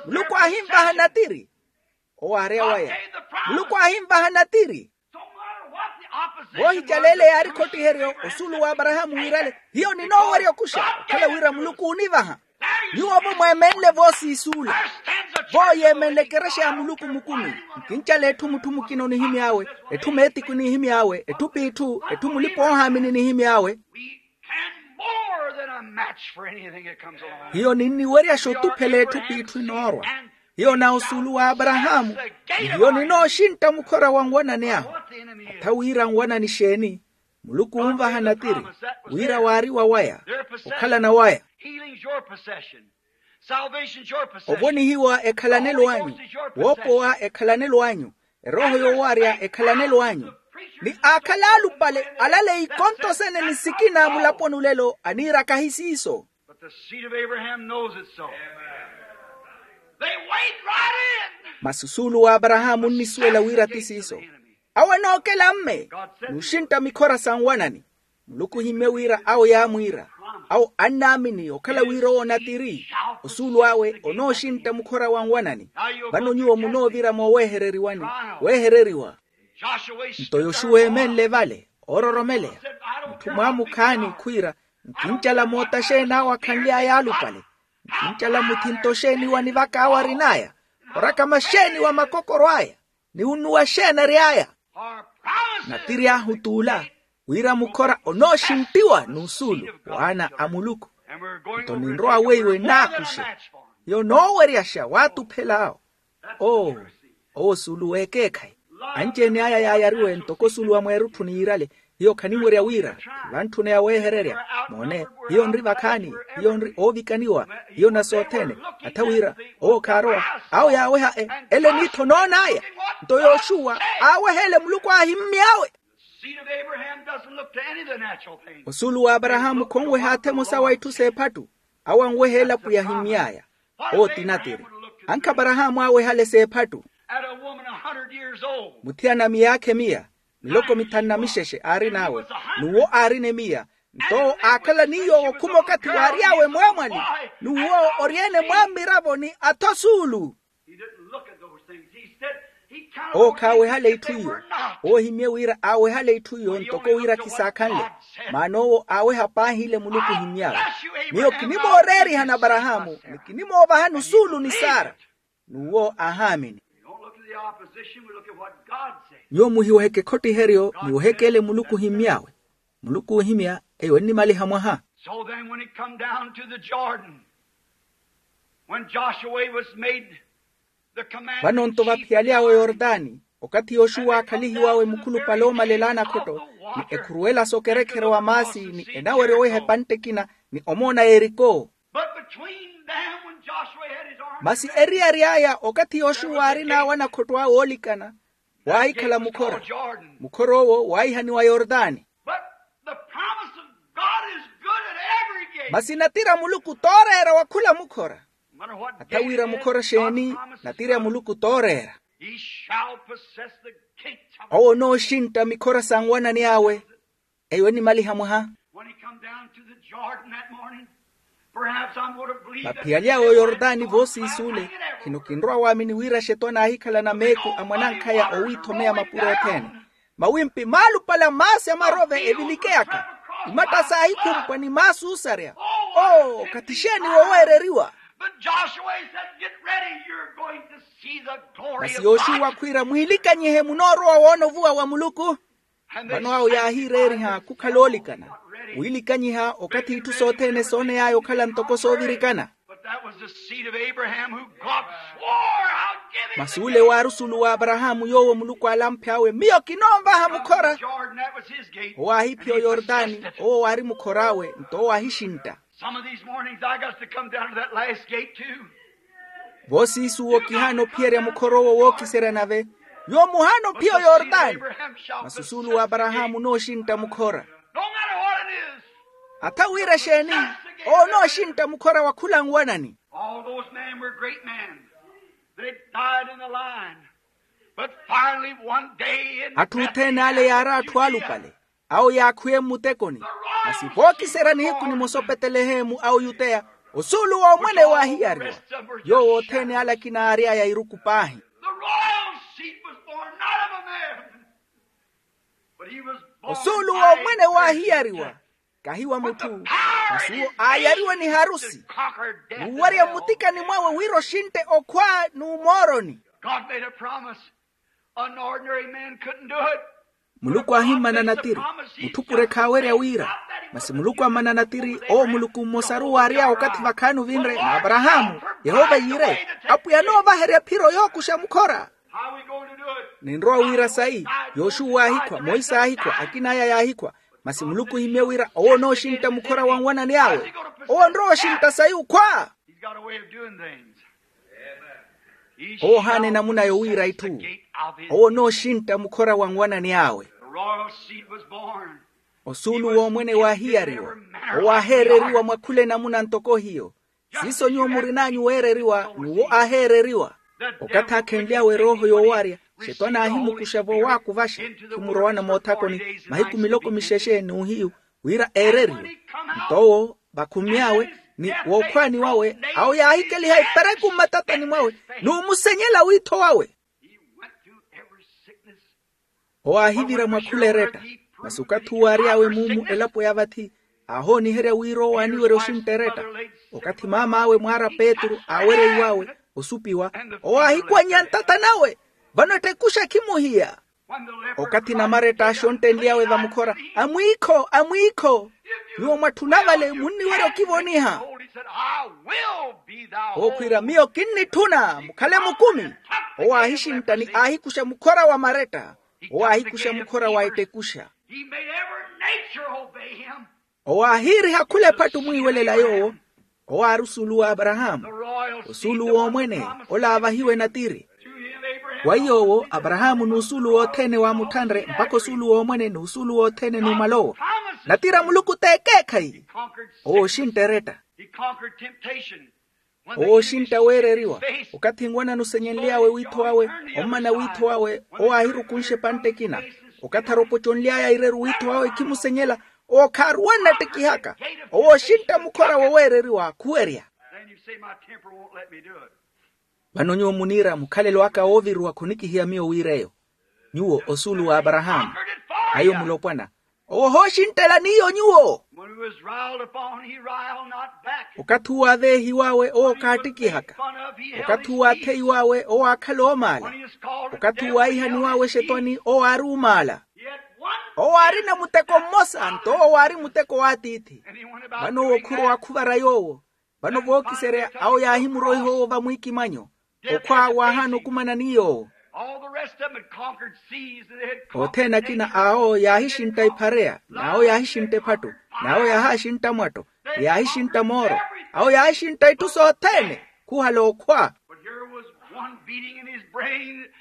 Muluku aahinvaha natiri. Owo aari awaya. Muluku aahinvaha natiri. Voohicaleele yaari khottiheryo osuulu wa aparahaamu wiirale, hiyo ninoowerya okuxa okhala wira muluku oonivaha. Nyuwo-vo mweemenle voosiisuula. Vooyeemenle ekerexa ya muluku mukumi. Nkincala etthu mutthu mukina onihimy'awe, etthu meetiku enihimy'awe, etthu p'itthu, etthu mulipa-oohaamini enihimy'awe. Hiyo ninniweryaxa otuphela etthu p'itthu enoorwa. Hiyo na osuulu wa aparahaamu. Hiyo ninooxintta mukhora wa nwanani ahu. Atha wira nwanani exeeni? Muluku oonvaha natiri wira waari wa waya, okhalana waya. Ovonihiwa ekhalanelo anyu. Woopowa ekhalanelo anyu. Erooho yoowarya ekhalanelo anyu. Ni aakhala alupale alaleyi ikonto sene ni sikina mulaponi olelo aniira kahi siiso. But the seed of Abraham knows it so. They wade right in. Masi osuulu wa aparahaamu onnisuwela wira ti siiso. Awo enookela mme n'uxintta mikhora sa nwanani. Muluku ohimmye wira awo yaamwiira. Awo annaamini okhala wira owo natiri, osuulu awe onooxintta mukhora wa nwanani. Vano nyuwo munoovira moowehereriwani. Wehereriwa. Nto yoxuwa eemenle vale oororomeleya. Mutthu mwaamukhaani khwiira, nkincala moota xeeni awo akhanly'aya alupale? Nkincala muthinto xeeni wa nivaka awo arin'aya? Orakama xeeni wa makokoro aya? Ni unnuwa xeeni ary'aya? Natiri ahu t'ula, wira mukhora onooxinttiwa n'usuulu w'ana a muluku. Nto ninrowa weiwe naakuxe. Hiyo nooweryaxa waatuphel'awo. Oo, owo osuulu w'ekeekhayi. Anci-ene aya yaayariwe ntoko osuulu wa mweerutthu n'iirale. Hiyo khaniwerya wira vantthune ya weehererya. Moone, hiyo nri vakhaani. Hiyo nri oovikaniwa. Hiyo na sothene. Atha wira owo khaarowa, awo yaaweha ele eniitho noon'aya. Nto yoxuwa aaweha ele muluku aahimmy'awe. Seed of Abraham doesn't look to any of the natural things. Osuulu wa aparahaamu khonweha athemosa wa itthu s'ephattu. Awo anweha elapo yahimmy'aya. Owo ti natiri. Ankha aparahaamu aawehale s'ephattu. At a woman a hundred years old. Muthiyana miyaakha emiya miloko mithanu na mixexe aarin'awe. N'uwo aarina emiya. Nto aakhala ni yoowo okhuma okathi waary'awe mwaamwali. N'uwo oryeene mwammiravo ni athosuulu. Owo khaawehale itthu iyo. Owo ohimmye wira aawehale itthu iyo ntoko wira khisaakhanle. Maana owo aaweha paahi ile muluku ohimmy'awe. Miyo kinimooreerihani aparahaamu ni kinimoovahani osuulu ni sara. N'uwo aahaamini. Nyuwo muhiwoheke ekhottiheryo. Niwoheke ele muluku ohimmy'awe. Muluku oohimya eyo ennimaliha mwaha. So then when it come down to the Jordan, when Joshua was made the commander in chief. Vano nto vaphiyalyawe yortani, okathi yoxuwa aakhalihiwawe mukhulupale oomalela anakhotto ni ekhuruwela s'okerekherya wa maasi ni enawerya oweha epantte ekina ni omoona yeriko. But between them, when Joshua had his army, masi eriyari aya okathi yoxuwa aarin'awe anakhotto awe oolikana, waahikhala mukhora. Mukhora owo waahihaniwa yortani. But the promise of God is good at every gate. Masi natiri a muluku tooreera wa khula mukhora. No matter what gate it is, God's promise is good. Atha wira mukhora exeeni, natiri a muluku tooreera. He shall possess the gates of. Owo onooxintta mikhora sa nwanani awe. Eyo ennimaliha mwaha. When he come down to the Jordan that morning, perhaps I'm going to believe that vaphiyalyawe oyortani voosiisuule. Khino kinrowa waamini wira axetwani aahikhalana meeku a mwanankhaya owiithomeya mapuro othene. Mawimpi maalupale a maasi a marove evilikeyaka. Imatta saahikhumpwa ni maasi oosarya. Oo, okathi exeeni wooweereriwa. But Joshua said, get ready, you're going to see the glory of God. Masi yoxuwa khwiira mwiilikanyihe munoorowa woona ovuwa wa muluku. Vano awo yaahiireeriha khukhala oolikana. Wiilikanyiha okathi itthu sothene sooney'aya okhala ntoko soovirikana. Masi ole waari osuulu wa aparahaamu yoowo muluku aalamphy'awe miyo kinoonvaha mukhora. Owo aahiphiya oyortani owo waari mukhor'awe nto owo aahixintta. Some of these mornings I got to come down to that last gate too. Voosiisuwo kihaana ophiyerya mukhora owo wookiserya nave. Nyuwo muhaana ophiya oyortani. Masi osuulu wa aparahaamu onooxintta mukhora. No matter what it is. Atha wira exeeni, owo onooxintta mukhora wa khula nwanani. Men were great men. They died in the line. But finally one day in atthu othene ale yaari atthu aalupale, awo yaakhwiye mmutekoni. Masi vookiserya nihiku nimosa opetelehemu a oyuteya, osuulu w'omwene waahiyariwa. Yoowo othene ale akina aary'aya iruku paahi. The royal seed was born, not of a man. But he was born. Osuulu w'omwene waahiyariwa, kahi wa mutthu. Masi owo aayariwe ni harusi, n'uwarya mmutikani mwawe wira oxintte okhwa n'umooroni. God made a promise. An ordinary man couldn't do it. Muluku aahimmana natiri, mutthu pure khaawerya wira. Masi muluku ammana natiri, owo muluku mmosaru waary'awe okathi vakhaani ovinre n'aparahaamu. Yehova yiire, apwiya anoovaherya phiro yookuxa mukhora. How are we going to do it? Ninrowa wira sayi. Yoxuwa aahikhwa, monse aahikhwa, akin'aya yaahikhwa. Masi muluku ohimye wira owo onooxintta mukhora wa nwanani awe. Owo onrowa oxintta sayi okhwa. He's got a way of doing things. Owo ohaana enamuna yowiira itthu. Owo onooxintta mukhora wa nwanani awe. The royal seed was born. Osuulu w'omwene waahiyariwa. Owo aaheereriwa mwa khula enamuna ntoko hiyo. Siiso nyuwo murin'anyu weereriwa n'uwo aaheereriwa. Okathi aakhenly'awe erooho yoowarya, xetwani aahimukuxa voowakuvaxa, khimurowana moothakoni mahiku miloko mixexe n'uhiyu, wira eereriwe. Nto owo vakhumy'awe ni wookhwaani wawe, awo yaahikeliha ipereku mmatatani mwawe n'umusenyela wiitho wawe. Owo aahivira mwa khula eretta. Masi okathi uwo aary'awe muumu elapo ya vathi, aahooniherya wira owo aaniwerya oxintta eretta. Okathi maam'awe mwaara petru aawerya iw'awe osupiwa, owo aahikwannya ntatani awe, vano ettekuxa khimuhiya. Okathi namaretta aaxonttenly'awe vamukhora, amwiikho, amwiikho, nyuwo mwatthuna vale munniwerya okivoniha. Owo khwiira, miyo kinnitthuna mukhale mukumi. Owo aahixintta ni aahikuxa mukhora wa maretta. Owo aahikuxa mukhora wa ettekuxa. Owo aahiiriha khula ephattu omwiiwelela yoowo. Owo aari osuulu w'aparahaamu, osuulu w'omwene, ola aavahiwe natiri. Wa yoowo aparahaamu n'usuulu wothene waamutthanre mpakha osuulu w'omwene n'usuulu wothene n'umala owo. Natiri a muluku t'ekeekhayi. Owo ooxintta eretta. Owo ooxintta weereriwa. Okathi nwanani osenyenly'awe wiitho wawe, ommana wiitho wawe, owo aahirukunxa epantte ekina. Okathi aropoconly'aya ireru wiitho wawe khimusenyela, owo khaaruwanna ettekihaka. Owo ooxintta mukhora woweereriwa aakhuwerya. Vano nyuwo muniira mukhalelo aka wooviruwa khunikihiya miyo wiir'eyo. Nyuwo osuulu w'aparahaamu, ayo mulopwana. Owo ohooxinttelani iyo nyuwo. Okathi uwo aveehiw'awe owo kaattikihaka. Okathi uwo atheiw'awe owo aakhala oomaala. Okathi uwo aihaniw'awe exetwani owo aari oomaala. Owo aarina muteko mmosa nto owo aari muteko w'atiithi. Vano owo khurowa khuvara yoowo. Vano vookiserya awo yaahimuroiha owo vamwiikimanyo. Okhwa waahaana okumana ni yoowo. Othene akina awo yaahixintta iphareya n'awo yaahixintta ephattu, n'awo yaahaaxintta mwatto, yaahixintta mooro, awo yaahixintta itthu sothene. Khuhala okhwa.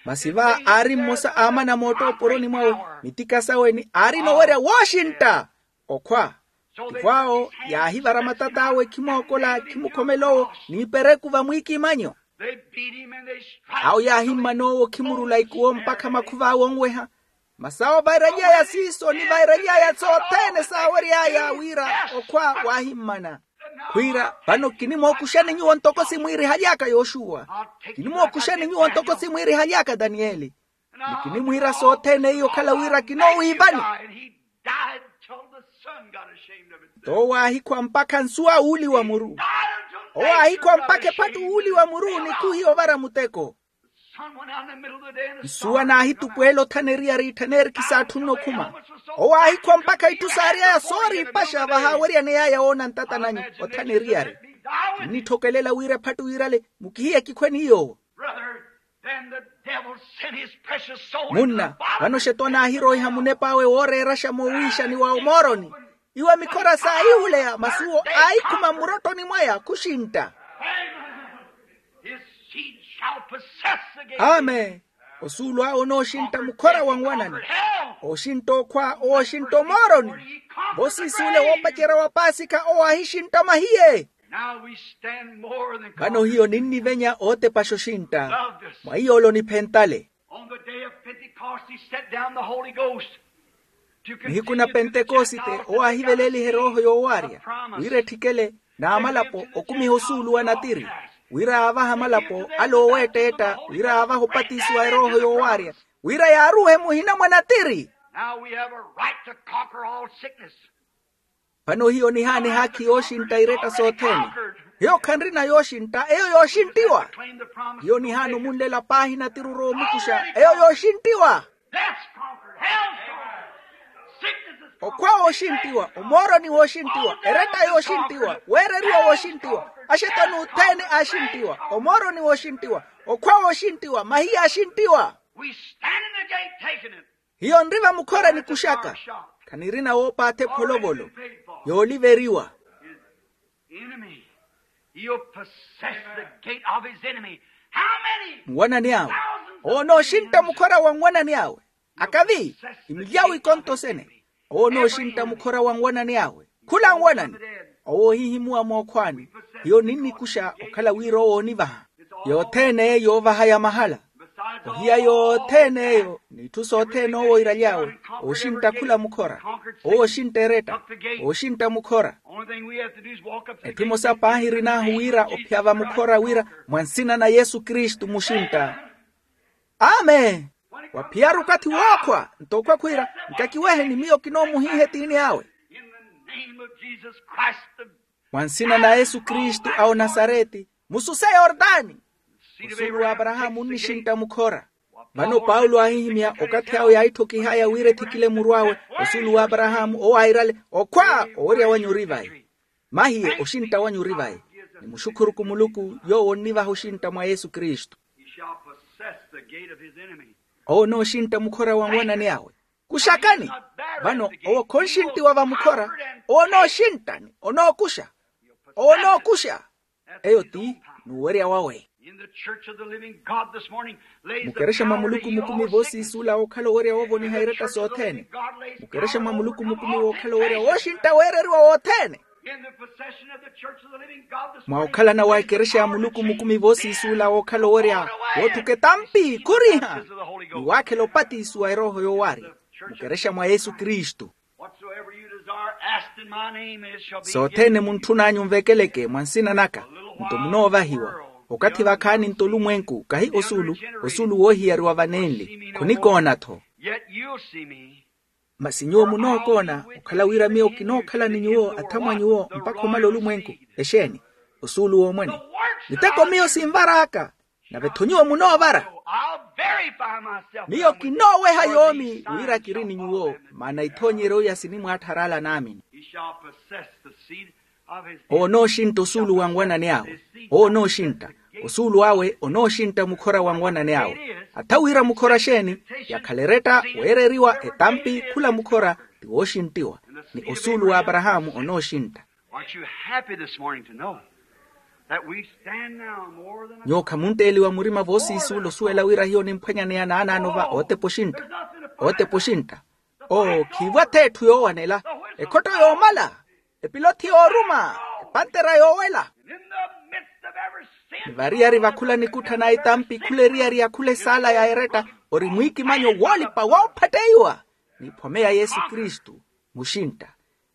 Masi va aari mmosa aamana mootta oporoni mwawe, mitika sawe ni aarina owerya wooxintta. Okhwa. Tivo awo yaahivara matat'awe khimookola khimukhomela owo n'ipereku vamwiikimanyo. Awo yaahimmana owo khimurula ikuwo mpakha makhuv'awe onweha. Masi awo vairaly'aya siiso ni vairaly'aya sothene saawery'aya wira okhwa waahimmana. Khwiira vano kinimookuxani nyuwo ntoko simwiirihaly'aka yoxuwa. Kinimookuxani nyuwo ntoko simwiirihaly'aka daniyeli. Ni kinimwiira sothene iyo okhala wira kinoowiivani. Nto owo aahikhwa mpakha nsuwa uuli wa muru. Owo aahikhwa mpakha ephattu uuli wa muru nikhuhiya ovara muteko. Nsuwa naahitupweela othana eriyari itthaneerikisa atthunna okhuma. Owo aahikhwa mpakha itthu saary'aya sooriipaxa vahaaweryaney'aya woona ntatananyu othana eriyari. Kinnitthokelela wira ephattu wirale mukihiye kikhwe ni yoowo. Munna, vano xetwani aahiroiha munep'awe wooreeraxa moowiixani wa omooroni. Iwa mikhora saahihuleya masi uwo aahikhuma mmurottoni mwaya khuxintta. Amen. Osuulu awe onooxintta mukhora wa nwanani. Ooxintta okhwa owooxintta omooroni. Vo siisuule woopacerya wa paasikha owo aahixintta mahiye. Now we stand more than vano hiyo ninnivenya ootepaxa oxintta. Love this. Mwa iyoolo niphentale. On the day of Pentecost, he sent down the Holy Ghost to nihiku na pentekosite owo aahivelelihe erooho yoowaarya wira etthikele n'amalapo okumiha osuulu wa natiri, wira aavahe amalapo ale ooweetteetta wira aavahe opatisiwa erooho yoowaarya, wira yaaruuhe muhina mwa natiri. Now we have a right to conquer all sickness. Vano hiyo nihaana ehaakhi yooxintta iretta sothene. Hiyo khanrina yooxintta eyo yooxinttiwa. Hiyo nihaana omunlela paahi natiri oroomukuxa eyo yooxinttiwa. Death's conquered. Hell's conquered. Sickness is conquered. Okhwa wooxinttiwa, omooroni wooxinttiwa, eretta yooxinttiwa, weereriwa wooxinttiwa, axetoni othene aaxinttiwa, omooroni wooxinttiwa, okhwa wooxinttiwa, mahiya aaxinttiwa. We stand in the gate taking it. Hiyo nri vamukhora nikuxaka. Khanirina woopaatha epholovolo yooliveriwa. Enemy. He'll possess the gate of his enemy. How many? Nwanani awe. Thousands of owo nooxintta mukhora wa nwanani awe. Akavi, imilyawo ikontoxene. Owo nooxintta mukhora wa nwanani awe. Khula nwanani. Owo ohihimuwa mookhwaani. Hiyo ninnikuxa okhala wira owo oonivaha. Yothene yoovaha ya mahala. Ohiya yothene eyo n'itthu sothene owo oiraly'awe. Ooxintta khula mukhora. Owo ooxintta eretta. Ooxintta mukhora. Etthu emosa paahi erinaahu wira ophiya vamukhora wira mwa nsina na yesu kristu muxintta. Amen. Waphiyaru okathi wookhwa nto okhwakhwiira, nkakiweheni miyo kinoomuhiiha etiini awe. Mwa nsina na yesu kristu a onasareti, mususe yortani. Osuulu w'aparahaamu onnixintta mukhora. Vano paulo aahihimya okathi awe yaahitthokiha aya wira ethikile muru awe. Osuulu w'aparahaamu owo airale, okhwa owerya wanyu ori vayi. Mahiye oxintta wanyu ori vayi. Nimuxukhuruku muluku yoowo onnivaha oxintta mwa yesu kristu. Owo onooxintta mukhora wa nwanani awe. Kuxakani. Vano owo khonxinttiwa vamukhora. Owo onooxinttani onookuxa. Owo onookuxa. Eyo ti nuwerya wawe. Mukerexa mwa muluku mukumi voosiisuula wookhala owerya woovoniha iretta sothene. Mukerexa mwa muluku mukumi wookhala owerya wooxintta weereriwa wothene. Mwa okhalana wa ekerexa ya muluku mukumi voosiisuula wookhala owerya woothuka etampi khuriha. Ni waakhela opatisiwa erooho yoowaari. Mukerexa mwa yesu kristu. Sothene muntthun'anyu nvekeleke mwa nsina naka, nto munoovahiwa. Okathi vakhaani nto olumwenku kahi osuulu. Osuulu woohiyariwa vanenli khonikoona-tho. Masi nyuwo munookoona okhala wira miyo kinookhala ni nyuwo athamwa nyuwo mpakha omala olumwenku. Exeeni? Osuulu w'omwene. Miteko miyo sinvar'aka. Nave-tho nyuwo munoovara. Miyo kinooweha yoomi wira kiri ni nyuwo. Maana ithoonyeryo iya sinimwaattharala naamini. Owo onooxintta osuulu wa nwanani awe. Owo onooxintta osuulu awe onooxintta mukhora wa nwanani awe. Atha wira mukhora xeeni? Yakhala eretta weereriwa etampi khula mukhora ti wooxinttiwa. Ni osuulu w'aparahaamu onooxintta. Aren't you happy this morning to know that we stand now more than a nyuwo khamuntteliwa murima voosiisuula osuwela wira hiyo nimphwanyaneya naanaano va ootepa oxintta. Ootepa oxintta. Oo khiivwa-tho etthu yoowanela. Ekhotto yoomala. Epilothi yooruma. Epantera yoowela. Nivariyari vakhula nikutthana etampi khula eriyari ya khula esaala ya eretta. Ori mwiikimanyo woolipa woophatteiwa. N'iphome ya yesu kristu. Muxintta.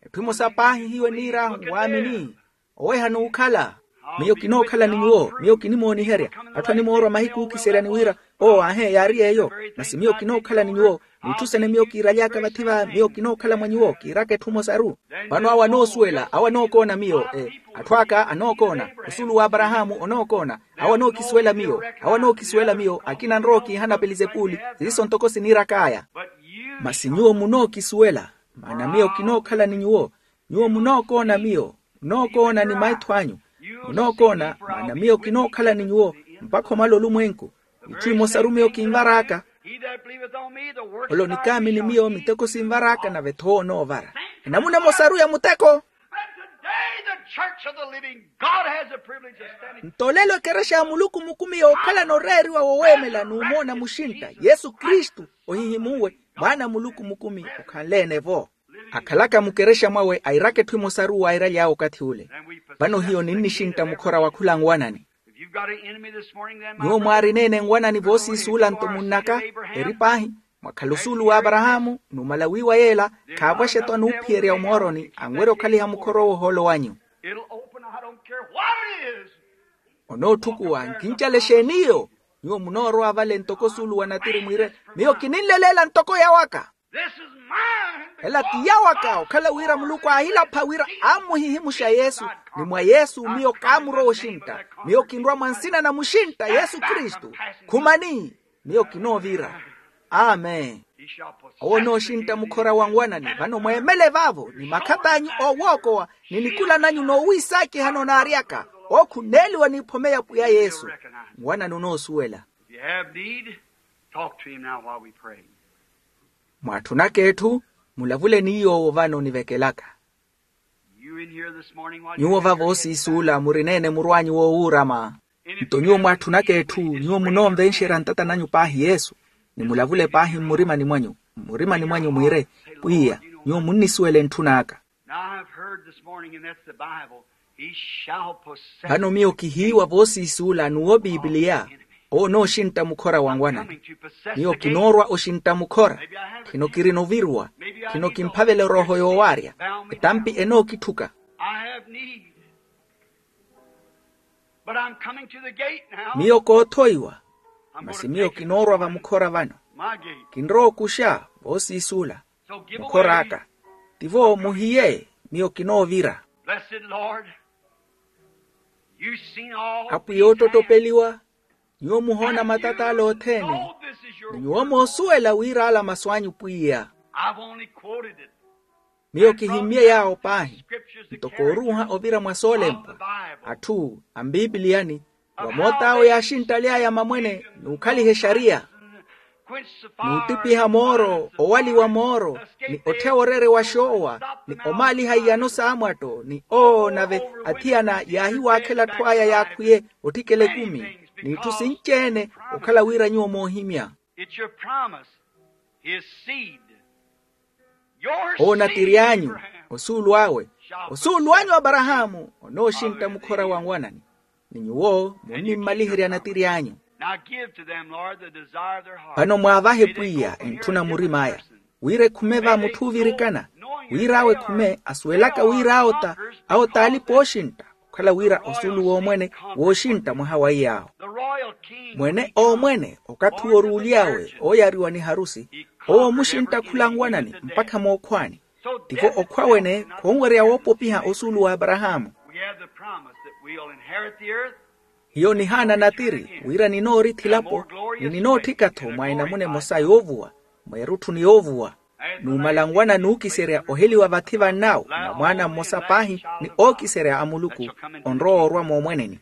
Etthu emosa paahi hiyo eniir'ahu waamini. Oweha n'ukhala. Miyo kinookhala ni nyuwo miyo kinimooniherya. Atthu animoorwa mahiku ookiseryani wira owo aahe yaari yeeyo. Masi miyo kinookhala ni nyuwo. N'itthu sene miyo kiiraly'aka vathi va miyo kinookhala mwa nyuwo kiiraka etthu emosaru. Vano awo anoosuwela awo anookoona miyo. Atthu aka anookoona. Osuulu w'aparahaamu onookoona. Awo anookisuwela miyo. Awo anookisuwela miyo akina nrowa okiihana pelizepuli. Siiso ntoko siniirak'aya. Masi nyuwo munookisuwela. Maana miyo kinookhala ni nyuwo. Nyuwo munookoona miyo. Munookoona ni maitho anyu. Munookoona maana miyo kinookhala ni nyuwo mpakha omala olumwenku. Itthu imosaru miyo kinvar'aka. Ole onikaamini miyo miteko sinvar'aka nave-tho owo onoovara. Enamuna emosaru ya muteko. Nto olelo ekerexa ya muluku mukumi yookhalana oreeriwa woweemela n'umoona muxintta yesu kristu ohihimuwe. Mwaana a muluku mukumi okhanleene-vo. Akhalaka mukerexa mwawe airaka etthu emosaru waairaly'awe okathi ule. Vano hiyo ninnixintta mukhora wa khula nwanani. Nyuwo mwaarineene nwanani voosiisuula nto munnaka, eri paahi, mwakhala osuulu w'aparahaamu numala wiiwa yeela, khaavaxetwa nuuphiyerya omooroni anwerya okhaliha mukhora owo ohoolo wanyu. Onoothukuwa nkincale xeeni iyo? Nyuwo munoorwa vale ntoko osuulu wa natiri mwiire, miyo kininleleela ntoko yawaka. Ela ti yawaka okhala wira muluku aahilapha wira aamuhihimuxa yesu. Ni mwa yesu miyo kaamurowa oxintta. Miyo kinrwa mwa nsina na muxintta yesu kristu. Khumani, miyo kinoovira. Amen. Owo onooxintta mukhora wa nwanani vano mweemele vaavo ni makhat'anyu oowookowa, ni nikula nanyu noowiisaakiha noonaaryaka. Ookhuneeliwa n'iphome ya pwiya yesu. Nwanani onoosuwela. Talk to him now while we pray. Mwaatthunaka etthu, mulavule ni yoowo vano onivekelaka. Nyuwo vavo osiisuula murineene murw'anyu woowuurama. Nto nyuwo mwaatthunaka etthu, nyuwo munoonvenxerya ntata nanyu paahi yesu, ni mulavule paahi mmurimani mwanyu, mmurimani mwanyu mwiire, pwiya, nyuwo munnisuwela entthun'aka. Vano miyo kihiiwa voosiisuula n'uwo pipiliya. Owo onooxintta mukhora wa nwanani. Miyo kinoorwa oxintta mukhora. Khino kirina oviruwa. Khino kimphavela erooho yoowaarya. Ettampi enookitthuka. Miyo koothoiwa. Masi miyo kinoorwa vamukhora vano. Kinrowa okuxa voosiisuula. Mukhor'aka. Tivo muhiye, miyo kinoovira. Apwiya oottottopeliwa. Nyuwo muhoona matata ala othene. Ni nyuwo moosuwela wira ala masu anyu pwiya. Miyo kihimmye yaawo paahi. Nto kooruuha ovira mwa soolempwa. Atthu a mpipiliyani, vamoot'awo yaaxinttaly'aya mamwene n'ukhaliha exariya, n'uttipiha mooro owaliwa mooro, ni ottheya oreere wa xoowa, ni omaaliha iyano s'amwatto ni oo nave athiyana yaahiwaakhela atthu aya yaakhwiye otthikela ekumi, n'itthu sinci-ene. Okhala wira nyuwo moohimya. Owo natiri anyu, osuulu awe, osuulu anyu aparahaamu onooxintta mukhora wa nwanani. Ni nyuwo munnimmaliherya natiri anyu. Vano mwaavahe pwiya entthuna murim'aya, wira ekhume va mutthu oovirikana, wira awo ekhume asuwelaka wira awo ta awo t'alipa ooxintta. Okhala wira osuulu w'omwene wooxintta mwaha wa iyaawo. Mwene oomwene okathi uwo oruuly'awe ooyariwa ni harusi, owo omuxintta khula nwanani mpakha mookhwani. Tivo okhwa wene khonwerya woopopiha osuulu w'aparahaamu. Hiyo nihaana natiri wira ninoorithi elapo, ni ninootthika-tho mwa enamuna emosa yoovuwa, mweerutthu ni yoovuwa. Numala nwana nuukiserya oheliwa vathi vann'awo na mwaana mmosa paahi ni ookiserya a muluku, onrowa orwa moomweneni.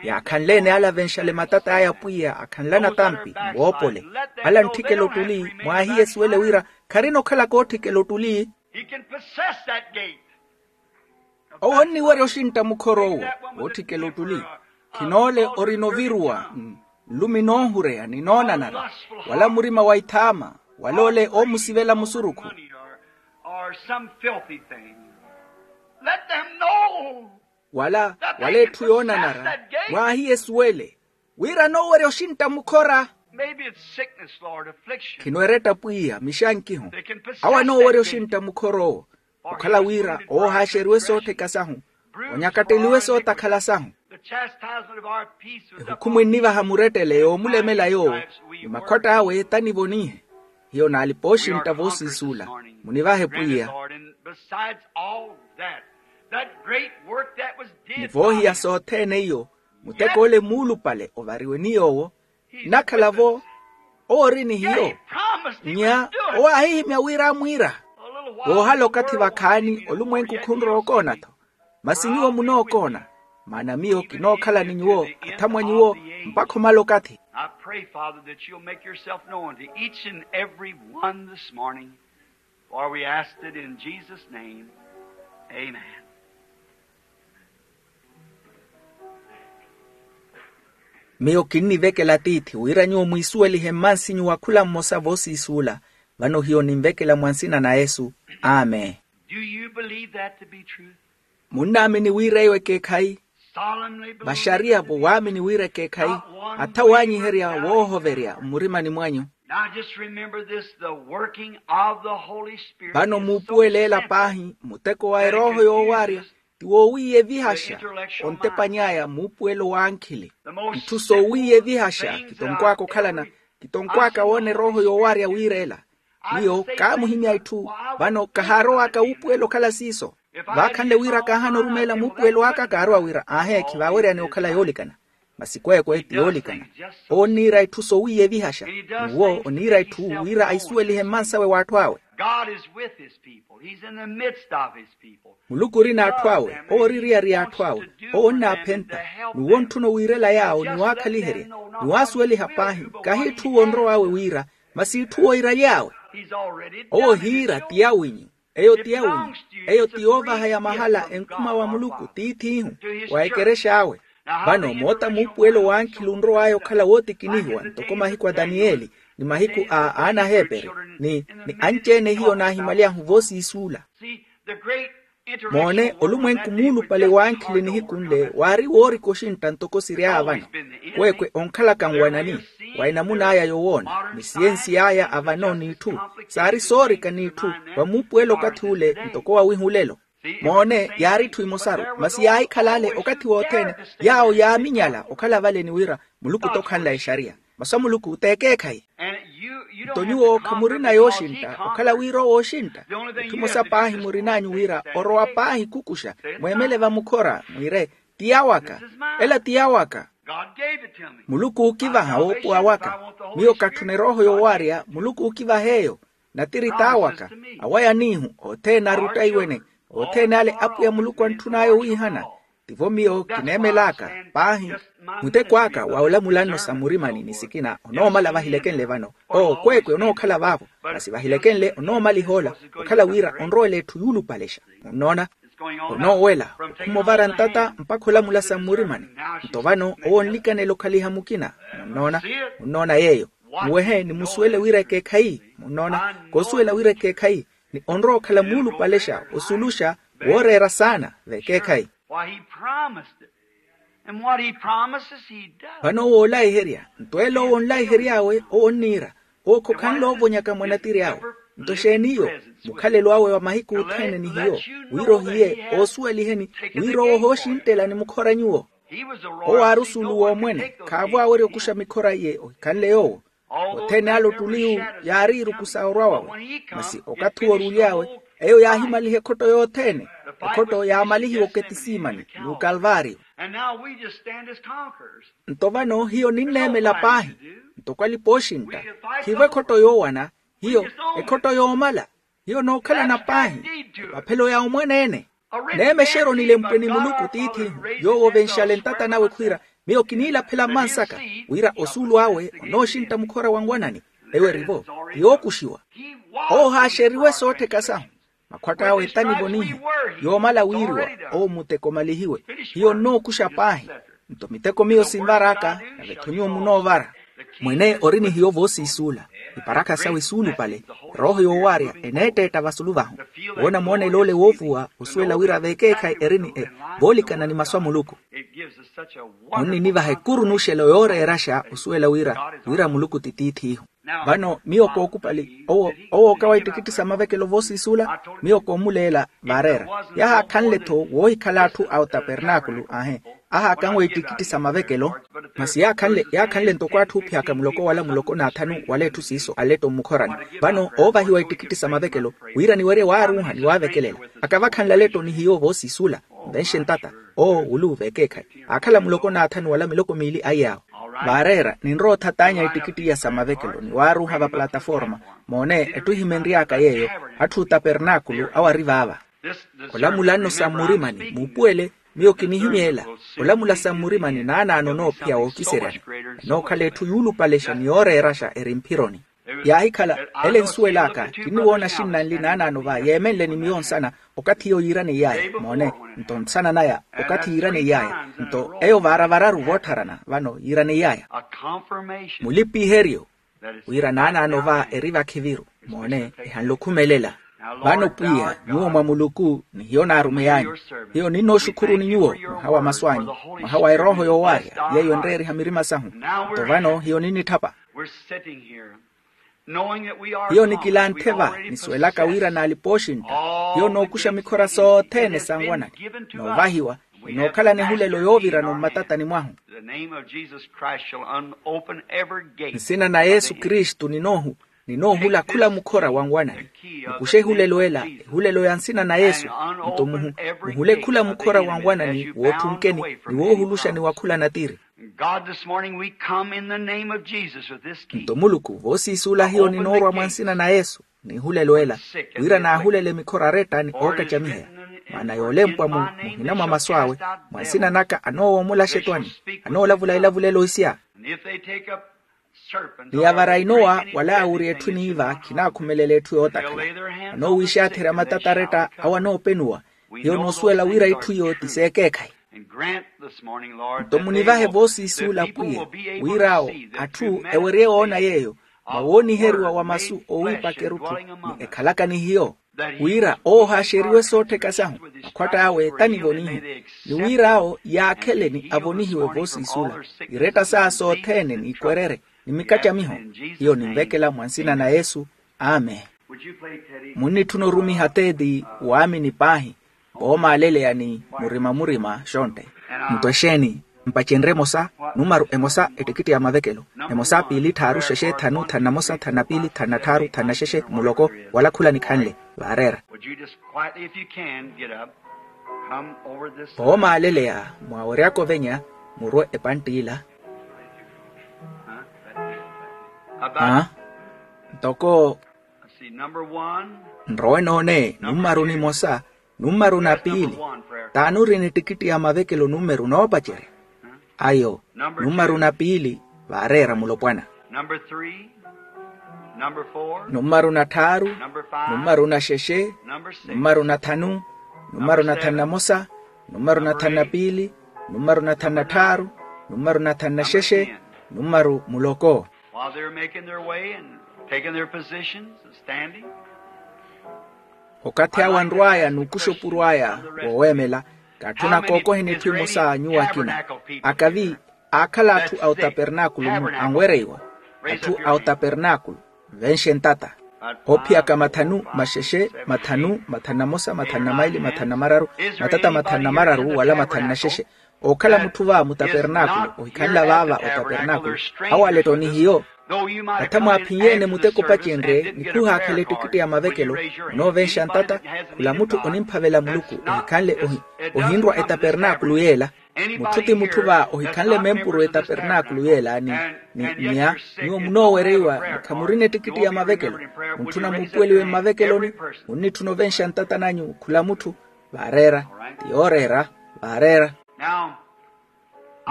Yaakhanle-ene ala avenxale matat'aya pwiya akhanlana tampi mwoopole. Ala antthikela ottuli mwaahiye esuwele wira kharina okhalaka ootthikela ottuli. Owo onniwerya oxintta mukhora owo wootthikela ottuli. Khinoole orina oviruwa, nlumi noohureya ni noonanara, wala murima wa ithaama, wala ole oomusivela musurukhu, wala wala etthu yoonanara. Mwaahiye esuwele wira anoowerya oxintta mukhora. Khino eretta pwiya mixankiho. Awo anoowerya oxintta mukhora owo okhala wira oohaaxeriwe soottheka sahu, onyakatteliwe sootakhala sahu. Ehukhumu ennivaha murettele yoomulemela yoowo, ni makhwatt'awe tanivonihe. Hiyo naalipa oxintta voosiisuula. Munivahe pwiya. Ni voohiya sothene iyo, muteko ole muulupale ovariwe ni yoowo, nnakhala-vo owo ori ni hiyo. Nnya owo aahihimya wira amwiira. Woohala okathi vakhaani olumwenku khunrowa okoona-tho. Masi nyuwo munookoona, maana miyo kinookhala ni nyuwo athamwa nyuwo mpakha omala okathi. I pray, Father, that you'll make yourself known to each and every one this morning, for we asked it in Jesus' name. Amen. Miyo kinnivekela tiithi wira nyuwo mwiisuwelihe mmansinyu wa khula mmosa voosiisuula. Vano hiyo ninvekela mwa nsina na yesu. Amen. Do you believe that to be true? Munnaamini wira eyo ekeekhayi? Solemnly believe. Vaxariya-vo waamini wira ekeekhayi? Atha waanyiherya woohoverya mmurimani mwanyu. Now just remember this, the working of the Holy Spirit. Vano is so muupuweleela central paahi muteko wa erooho yoowaarya ti woowiiya evihaxa. Ontepany'aya muupuwelo w'ankhili. Itthu soowiiya evihaxa kitonkw'aka okhalana, kitonkw'aka woona erooho yoowaarya wiireela. Miyo kaamuhimya itthu. Vano kahaarow'aka wuupuwelo okhala siiso. Vaakhanle wira kaahana orumeela muupuwelo aka kaarowa wira aahe khivaaweryani okhala yoolikana. Masi kweekwe ti yoolikana. Owo onniira itthu soowiiya evihaxa. N'uwo oniira itthu wira aisuwelihe mmansawe w'atthu awe. God is with his people. He's in the midst of his people. Muluku ori n'atthu awe. Owo ori eriyari y'atthu awe. Owo onnaaphenta. N'uwo ontthuna owiirela yaawo ni waakhaliherya, ni waasuweliha paahi. Kahi itthu uwo onrow'awe wira, masi itthu uwo oiraly'awe. Owo ohiira ti yawinyu. Eyo ti yawinyu. Eyo ti yoovaha ya mahala enkhuma wa muluku tiith'ihu, wa ekerexa awe. Vano moota muupuwelo w'ankhili onrow'aya okhala wootikinihiwa ntoko mahiku a taniyeli, ni mahiku a aanaheeperi, ni anci-ene hiyo naahimaly'ahu voosiisuula. Moone, olumwenku muulupale w'ankhili nihiku nle waari woorika oxintta ntoko siry'aya vano. Kweekwe onkhalaka nwanani, wa enamun'aya yowoona ni siyensi y'aya avano n'itthu, saari soorika n'itthu. Vamuupuwela okathi ule ntoko wawiha olelo. Moone, yaari itthu emosaru, masi yaahikhala ale okathi wothene. Yaawo yaaminyala okhala vale ni wira muluku t'okhanla exariya. Masu a muluku t'ekeekhayi. Nto nyuwo khamurina yooxintta okhala wira owo oxintta. Itthu emosa paahi murin'anyu wira orowa paahi khukuxa, mweemele vamukhora mwiire, ti yawaka. Ela ti yawaka. Muluku ookivaha woopuwa waka. Miyo katthuna erooho yoowaarya, muluku ookivaha eyo. Natiri t'awaka, awaya n'ihu othene ari ottaiwene. Othene ale apwiya muluku antthun'aya owiihana. Tivo miyo kineemel'aka paahi. Muteko aka wa olamula nno sa mmurimani ni sikina onoomala vahilekenle vano. Oo kweekwe onookhala vaavo. Masi vahilekenle onoomaliha ola, okhala wira onrowela etthu yuulupalexa. Munnoona? Onoowela okhuma ovara ntata mpakha olamula sa mmurimani. Nto vano owo onlikanela okhaliha mukina. Munnoona? Munnoona yeeyo. Muwehe ni musuwele wira ekeekhayi. Munnoona? Koosuwela wira ekeekhayi ni onrowa okhala muulupalexa osuluxa, wooreera saana v'ekeekhayi. Why he promised it. And what he promises he does. Vano owo onlaiherya. Nto elo owo onlaihery'awe owo onniira. Owo khokhanle oovonyaka mwa natiri awe. Nto exeeni iyo? Mukhalelo awe wa mahiku othene ni hiyo, wira ohiye oosuweliheni wira owo ohooxintela ni mukhora nyuwo. Owo aari osuulu w'omwene. Khaavo awerya okuxa mikhora iye ohikhanle yoowo. Othene ale ottuli yu yaari iruku sa orwa wawe. Masi okathi uwo oruly'awe, eyo yaahimaliha ekhotto yothene. Ekhotto yaamalihiwa oketisimani n'ukalvaariyo. Nto vano hiyo ninneemela paahi ntoko alipa ooxintta. Khiivo ekhotto yoowana. Hiyo ekhotto yoomala. Hiyo nookhalana paahi epaphelo ya omwaneene. Neemexeryo nilempwe ni muluku tiith'ihu, yoowo ovenxale ntata nawe khwiira, miyo kiniilaphela mmansaka wira osuulu awe onooxintta mukhora wa nwanani. Eyo erivo ti yookuxiwa. Owo ohaaxeriwe soottheka sahu. Makhwatt'awe etanivo niihi. Yoomala wiiriwa owo muteko omalihiwe. Hiyo nnookuxa paahi. Nto miteko miyo sinvar'aka nave-tho nyuwo munoovara. Mwene ori ni hiyo voosiisuula. Iparakha sawe suulupale. Erooho yoowaarya eneetteetta vasulu vahu. Woona moonel'ole woovuwa osuwela wira v'ekeekhayi eri ni e voolikana ni masu a muluku. Munninivaha ekuru n'uxelo yooreeraxa osuwela wira wira muluku ti tiith'ihu. Vano miyo kookupali owo okawa ittikitti sa mavekelo voosiisuula. Miyo koomuleela vaareera. Yahaakhanle-tho woohikhala atthu a otapernaakulu aahe. Ahaakanwa ittikitti sa mavekelo. Masi yaakhanle yaakhanle ntoko atthu oophiyaka muloko wala muloko n'athanu wala etthu siiso aletto mmukhorani. Vano oovahiwa ittikitti sa mavekelo wira niwerye waaruuha ni waavekelela. Akavakhanle aletto ni hiyo voosiisuula. Nvenxe ntata owo wuluwu v'ekeekhayi. Aakhala muloko n'athanu wala miloko miili aiy'awe. Vaareera ninrowa othatanya ittikitti iya sa mavekelo ni waaruuha va plataforma. Moone etthu ehimenry'aka yeeyo. Atthu otapernaakulu awo ari vaava. Olamula nno sa mmurimani muupuwele. Miyo kinihimyeela olamula sa mmurimani naanaano noophiya wookiseryani. Enookhala etthu yuulupalexa ni yooreeraxa eri mphironi. Yaahikhala ele ensuwel'aka kinniwoona axinna nli naanaano va yeemenle ni miyo nsana. Okathi iyo yiiraneiy'aya moone nto nsana naya okathi yiiraneiy'aya. Nto eyo vaaravararu voottharana vano yiiraneiy'aya mulipiheryo wira naanaano va eri vakhiviru. Moone, ehanle okhumelela. Vano pwiya, nyuwo mwa muluku ni hiyo naarumey'anyu. Hiyo ninnooxukhuruni nyuwo, mwaha wa masu anyu, mwaha wa erooho yoowaarya yeeyo enreeriha mirima sahu. Nto vano hiyo ninnitthapa. Hiyo nikilanthe va, nisuwelaka wira n'alipa ooxintta. Hiyo nookuxa mikhora sothene sanwanani, noovahiwa, ni nookhalani ehulelo yoovirana mmatatani mwahu. Nsina na yesu kristu ninoohu ninoohula khula mukhora wa nwanani. Mukuxe ehulelo ela, ehulelo ya nsina na yesu. Nto muhule khula mukhora wa nwanani wootthunkeni, ni woohuluxani wa khula natiri. Nto muluku voosiisuula hiyo ninoorwa mwa nsina na yesu, n'ihulelo ela, wira naahulele mikhora aretta ni ookacamiheya. Maana yoolempwa mu muhina mwa masu awe, mwa nsina naka anoowomola axetwani, anoolavula elavulelo isya. Ni avara inowa wala aawuri etthu eniiva khinakhumelela etthu yootakhala. Anoowiixatherya matata aretta awo anoopenuwa. Hiyo noosuwela wira itthu iyo ti seekeekhayi. Nto munivahe voosiisuula pwiya, wira awo atthu ewerye woona yeeyo, mwa wooniheriwa wa masu oowiipaka erutthu ni ekhalaka ni hiyo, wira oohaaxeriwe soottheka sahu, akhwatta awe tanivonihiwe. Ni wira awo yaakhele ni avonihiwe voosiisuula, iretta saawe sothene n'ikwererye ni mikacamiho. Hiyo ninvekela mwa nsina na yesu. Amen. Munnitthuna orumiha teeti waamini paahi, voomaaleleya ni murima murima xontte. Nto exeeni? Mpacenrye emosa, numaru emosa ettikitti ya mavekelo. Emosa piili tthaaru xexe tthanu tthanu na mosa tthanu na piili tthanu na tthaaru tthanu na xexe muloko, wala khula nikhanle. Vaareera. Voomaaleleya, mwaweryaka ovenya, murwe epantti ila. Aa, ntoko nrowe noone nummaru nimosa, nummaru na piili. Taani ori ni ttikitti ya mavekelo nummaru noopacerya? Ayo, nummaru na piili. Vaareera mulopwana. Nummaru na tthaaru, nummaru na xexe, nummaru na tthanu, nummaru na tthanu na mosa, nummaru na tthanu na piili, nummaru na tthanu na tthaaru, nummaru na tthanu na xexe, nummaru muloko. While they're making their way and taking their positions and standing. Okathi awo anrw'aya n'ukuxa opuro aya, wooweemela. Katthuna kookoheni etthu emosa nyuwo akina. Akavi aakhala atthu a otapernaakulu-mu anwereiwa. Atthu a otapernaakulu, venxe ntata. Oophiyaka mathanu maxexe, mathanu mathanu na mosa, mathanu na maili, mathanu na mararu, matata mathanu na mararu wala mathanu na xexe. Ookhala mutthu va mutapernaakulu ohikhanla vaava otapernaakulu, awo alettoni hiyo. Atha mwaaphinyeene muteko opacenrye ni khuhaakhela ettikitti ya mavekelo, onoovenxa ntata. Khula mutthu onimphavela muluku ohikhanle ohinrwa etapernaakulu yeela. Mutthu ti mutthu va ohikhanle mempuru etapernaakulu yeela ni mia. Nyuwo munoowereiwa ni khamurina ettikitti ya mavekelo. Muntthuna muupuweliwe mmavekeloni. Munnitthuna ovenxa ntata nanyu khula mutthu. Vaareera. Ti yooreera. Vaareera.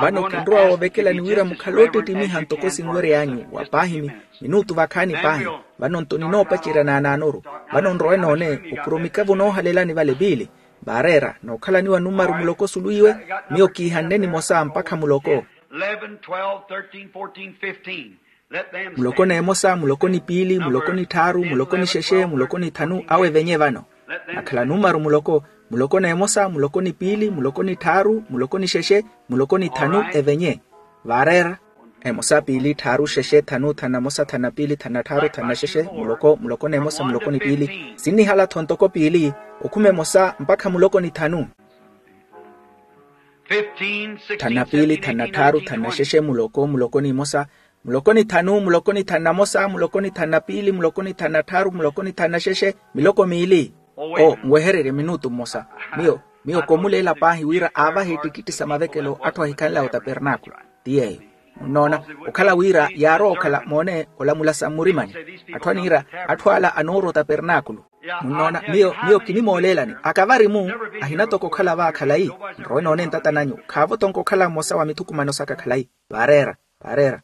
Vano kinrowa woovekelani wira mukhale oottittimiha ntoko sinwery'anyu wa paahi minutu vakhaani paahi. Vano nto ninoopacerya naanaanoru. Vano nrowe noone opuro mikavo noohalelani vale piili. Vaareera nookhalaniwa numaru muloko suluwiwe. Miyo kiihanne nimosa mpakha muloko. Muloko n'emosa, muloko ni piili, muloko ni tthaaru, muloko ni xexe, muloko ni tthanu awe evenye vano. Nakhala numaru muloko, muloko n'emosa, muloko ni piili, muloko ni tthaaru, muloko ni xexe, muloko ni tthanu evenye. Vaareera. Emosa piili tthaaru xexe tthanu tthanu na mosa tthanu na piili tthanu na tthaaru tthanu na xexe, muloko, muloko n'emosa, muloko ni piili. Sinnihala-tho ntoko piili, okhuma emosa mpakha muloko ni tthanu. Tthanu na piili tthanu na tthaaru tthanu na xexe muloko, muloko n'imosa, muloko ni tthanu, muloko ni tthanu na mosa, muloko ni tthanu na piili, muloko ni tthanu na tthaaru, muloko ni tthanu na xexe, miloko miili. O nwehererye minutu mmosa. Miyo miyo komuleela paahi wira aavahe ettikitti sa mavekelo atthu ahikhanlaya otapernaakulu. Ti yeeyo. Munnoona, okhala wira yaarowa okhala moone olamula sa mmurimani. Atthu aniira, atthu ala anoorwa otapernaakulu. Munnoona, miyo miyo kinimooleelani akavari-mu. Ahina toko okhala va khalayi. Nrowe noone ntata nanyu khaavo tonko okhala mmosa wa mithukumano saka khalayi. Vaareera. Vaareera.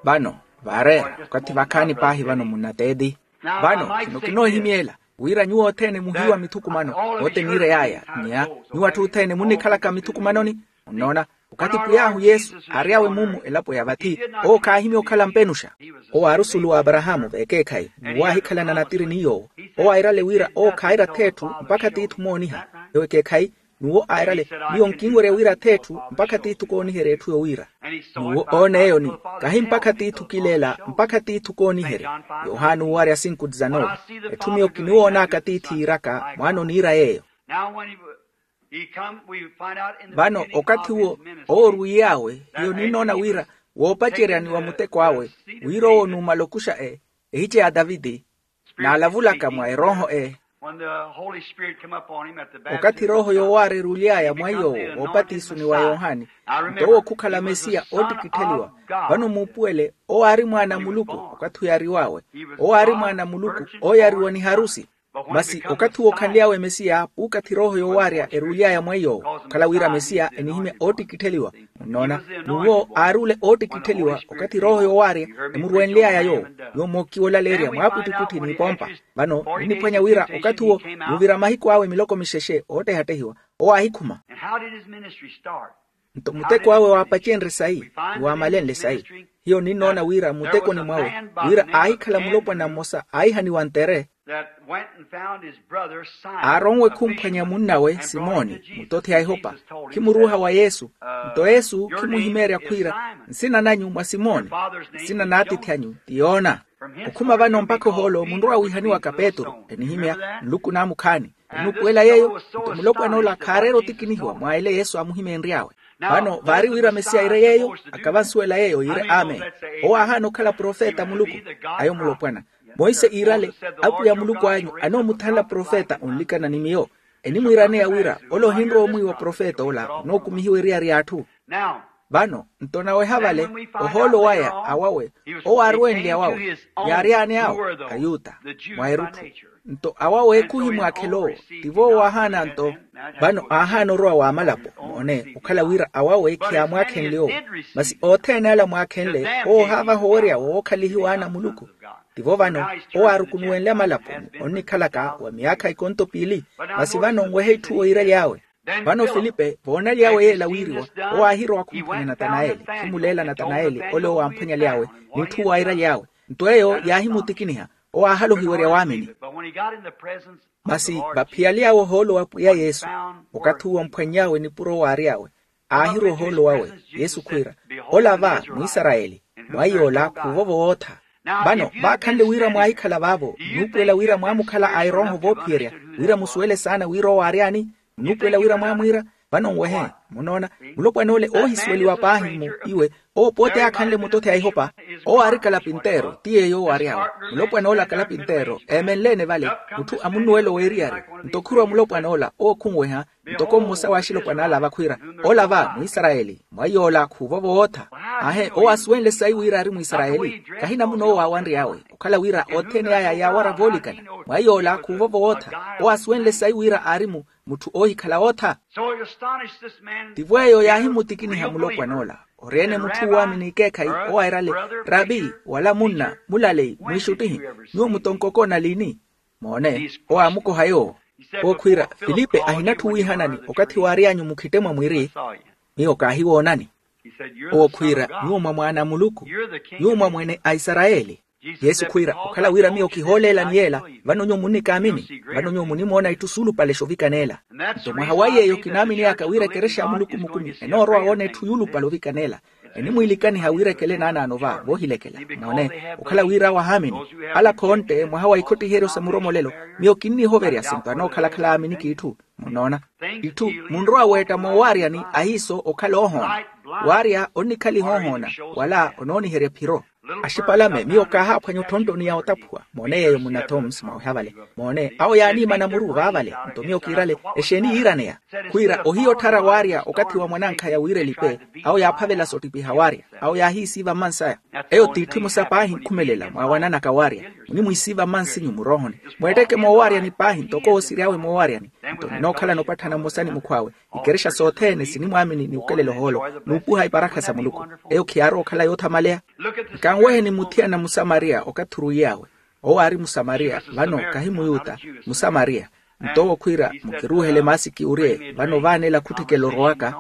Vano vaareera. Okathi vakhaani paahi vano munnateeti. Vano khino kinoohimyeela wira nyuwo othene muhiiwa mithukumano. Ote niirey'aya. Nnya nyuwo atthu othene munnikhalaka mithukumanoni. Munnoona, Okathi pwiy'ahu yesu aary'awe mumu elapo ya vathi, owo khaahimya okhala mpenuxa. Owo aari osulu w'aparahaamu v'ekeekhayi ni waahikhalana natiri ni yoowo. Owo airale wira owo khaayira atheetthu mpakha tiithi omooniha. Ewo ekeekhayi, n'uwo airale, miyo nkinwerya wira atheetthu mpakha tiithi kooniherya etthu yowiira. N'uwo oona eyo ni, kahi mpakha tiithi okileela mpakha tiithi kooniherya. Yohani owarya sinku dizanove. Etthu miyo kiniwoonaka tiithi yiiraka mwaana oniira yeeyo. Vano okathi-wo owo orwiiy'awe, hiyo ninnoona wira woopaceryani wa muteko awe, wira owo numala okuxa e ehice ya taviti, n'alavulaka mwa erooho e. Okathi erooho yoowaara eruly'aya mwa yoowo woopatisoni wa yohani, nto owo khukhala mesiya oottikittheliwa. Vano muupuwele, owo aari mwaana a muluku. Okathi oyariw'awe, owo aari mwaana a muluku, ooyariwa ni harusi. Masi okathi wokhanly'awe mesiya puukathi erooho yoowaarya eruly'aya mwa iy'owo, okhala wira mesiya enihimya oottikittheliwa. Munnoona, n'uwo aari ole oottikittheliwa okathi erooho yoowaarya emurwenly'aya yoowo. Nyuwo mookiwolaleerya mwaapwittipwitthi n'ipompa. Vano niniphwanya wira okathi owo nuuvira mahiku awe miloko mixexe oottehattehiwa, owo aahikhuma. Nto muteko awe waapacenrye sayi, ni waamalenle sayi. Hiyo ninnoona wira muttekoni mwawe, wira aahikhala mulopwana mmosa aahihaniwa ntere, aaronwe khumphwanya munnawe simoni, mutothi a ehopa, khimuruuha wa yesu. Nto yesu khimuhimeerya khwiira, nsina nanyu mwa simoni, nsina n'atiithi anyu ti yoona. Okhuma vano mpakha ohoolo munrowa wiihaniwaka petru enihimya, nluku naamukhaani. Onuupuwela yeeyo, nto mulopwan'ola khaareera otikinihiwa mwa ele yesu aamuhimeenry'awe. Vano vaari wira mesiya iire yeeyo, akavansuwela yeeyo yiire amen. Owo aahaana okhala profeta a muluku. Ayo mulopwana, monse iirale, apwiya muluku anyu anoomuthanla profeta onlikana ni miyo. Enimwiiraneya wira ole ohinrowa omwiiwa profeta ola onookumihiwa eriyari y'atthu. Vano nto naweha vale, ohoolo waya awawe, owo aarwenle awawe, yaary'ane awo ayuta mwa erutthu. Nto awawe ekhuhi mwaakhela owo, tivo owo aahaana nto. Vano aahaana orowa w'amalapo, moone okhala wira awawe khiyaamwaakhenle owo. Masi othene ala mwaakhenle owo ohaavaha owerya wookhalihiwa ana a muluku. Tivo vano owo aarukunuwenle amalapo onnikhalaka wa myaakha ikonto piili. Masi vano nwehe itthu oyiiraly'awe. Vano filipe voonaly'awe yeela wiiriwa, owo aahirowa khumphwanya natanayeli, khimuleela natanayeli ole owo aamphwanyaly'awe, n'itthu waayiiraly'awe. Nto eyo yaahimutikiniha, owo aahalohiwerya waamini. Masi vaphiyaly'awe ohoolo wa pwiya yesu, okathi uwo amphwanny'awe nipuro waary'awe, aahirowa ohoolo wawe, yesu khwiira, ola va mwisarayeli, mwa iy'ola khuuvo vootha. Vano vaakhanle wira mwaahikhala vaavo nnuupuwela wira mwaamukhala a erooho voophiyerya, wira musuwele saana wira owo aary'ani. Nnuupuwela wira mwaamwiira. Vano nwehe, munoona, mulopwan'ole oohisuweliwa paahi-mu iwe, owo pooti aakhanle mutothi a ihopa. Owo aari kalapinteero ti yeeyo owo aary'awe. Mulopwan'ole akalapinteero eemenle-ene vale, mutthu amunnuwela oweeriyari. Nto khurwa mulopwan'ola owo khunweha, ntoko mmosa w'axilopwana ala vakhwiira, ola va mwisarayeli, mwa iy'ola khuuvo vootha. Aahe owo asuwenle sayi wira aari mwisarayeli, kahi namuna owo aawanry'awe, okhala wira othene aya yaawarya voolikana. Mwa iy'ola khuuvo vootha, owo asuwenle sayi wira aari mu mutthu oohikhala ootha. Tivo eyo yaahimutikiniha mulopwan'ola, ori-ene mutthu uwaamini ekeekhayi, owairale, rapi, wala munna mulaleyi mwiixuttihi, nyuwo mutonkokoona liini? Moone, owo aamukoha yoowo. Owo khwiira, filipe ahinatthu wiihanani okathi waary'anyu mukhitte mwa mwiri, miyo kaahiwoonani. Owo khwiira, nyuwo mwa mwaana a muluku, nyuwo mwa mwene a isarayeli. Yesu khwiira, okhala wira miyo kihooleelani yeela, vano nyuwo munnikaamini, vano nyuwo munimoona itthu suulupale xovikaneela. Nto mwaha wa yeeyo kinaaminiyaka wira ekerexa ya muluku mukumi enoorowa woona etthu yuulupale ovikaneela. Enimwiilikaniha wira ekele naanaano va voohilekela. Moone, okhala wira awo ahaamini, ala khontte mwaha wa ikhottiheryo sa muromolelo, miyo kinnihoverya sinto anookhalakhala aamini k'itthu. Munoona, itthu munrowa weetta moowaaryani ahiiso okhala oohoona. Waarya onnikhaliha oohoona, wala onooniherya ephiro. Axipalame, miyo kaahaaphwanya otthonttoni ya otaphuwa. Moone yeeyo munna thoms mwaweha vale. Moone, awo yaaniimana muru vaavale. Nto miyo kiirale, exeeni yiiraneya? Khwiira ohiya otthara waarya okathi wa mwanankhaya wira elipe. Awo yaaphavela soottipiha waarya. Awo yaahiisiiva mmansaya. Eyo t'itthu emosa paahi nkhumelela mwaawananaka waarya. Munimwiisiiva mmansinyu muroohoni. Mweetteke moowaaryani paahi ntoko oosiry'awe moowaaryani. Nto ninookhalana opatthana mmosa ni mukhw'awe. Ikerexa sothene sinimwaamini ni okelela ohoolo n'upuha iparakha sa muluku. Eyo khiyaarowa okhala yoothamaleya. Nkanweheni muthiyana musamariya okathi orwiiy'awe. Owo aari musamariya vano kahi muyuta, musamariya. Nto owo khwiira, mukiruuhele maasiki urye vano vaana ela khutthikela orowaka.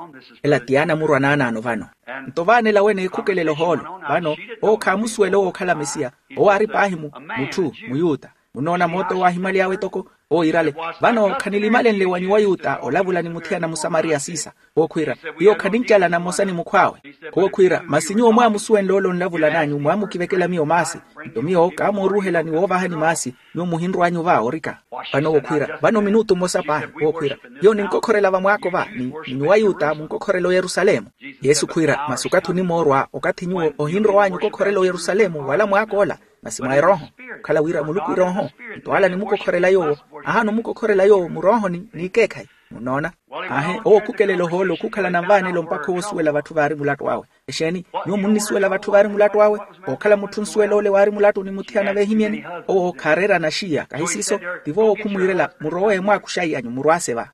Ela ti yaana murwa naanaano vano. Nto vaana ela wene eekhukelela ohoolo. Vano owo khaamusuwela owo okhala mesiya. Owo aari paahi mu mutthu muyuta. Munoona mooto owo aahimaly'awe etoko. Owo iirale, vano khanilimalenle wa nyuwo ayuta olavula ni muthiyana musamariya siisa. Owo khwiira, hiyo khanincalana mmosa ni mukhw'awe. Owo khwiira, masi nyuwo mwaamusuwenle ole onlavula n'anyu mwaamukivekela miyo maasi. Nto miyo kaamooruuhela ni woovahani maasi. Nyuwo muhinrw'anyu va orika. Vano owo khwiira, vano minutu mmosa paahi. Owo khwiira, hiyo ninkokhorela vamwaako va ni nyuwo ayuta munkokhorela oyerusalemu. Yesu khwiira, masi okathi onimoorwa okathi nyuwo ohinrow'anyu okokhorela oyerusalemu wala mwaak'ola. Masi mwa erooho, okhala wira muluku erooho. Nto ala nimukokhorela yoowo, ahaana omukokhorela yoowo muroohoni n'ikeekhayi. Munnoona? Aahi, owo okhukelela ohoolo khukhala nanvaanelo mpakha owo osuwela vatthu vaari mulattu awe. Exeeni? Nyuwo munnisuwela vatthu vaari mulattu awe. Ookhala mutthu nsuwela ole waari mulattu ni muthiyana veehimyeni. Owo khaareera naxiya kahi siiso. Tivo owo khumwiirela murowe mwaakhuxayi anyu murwaase va.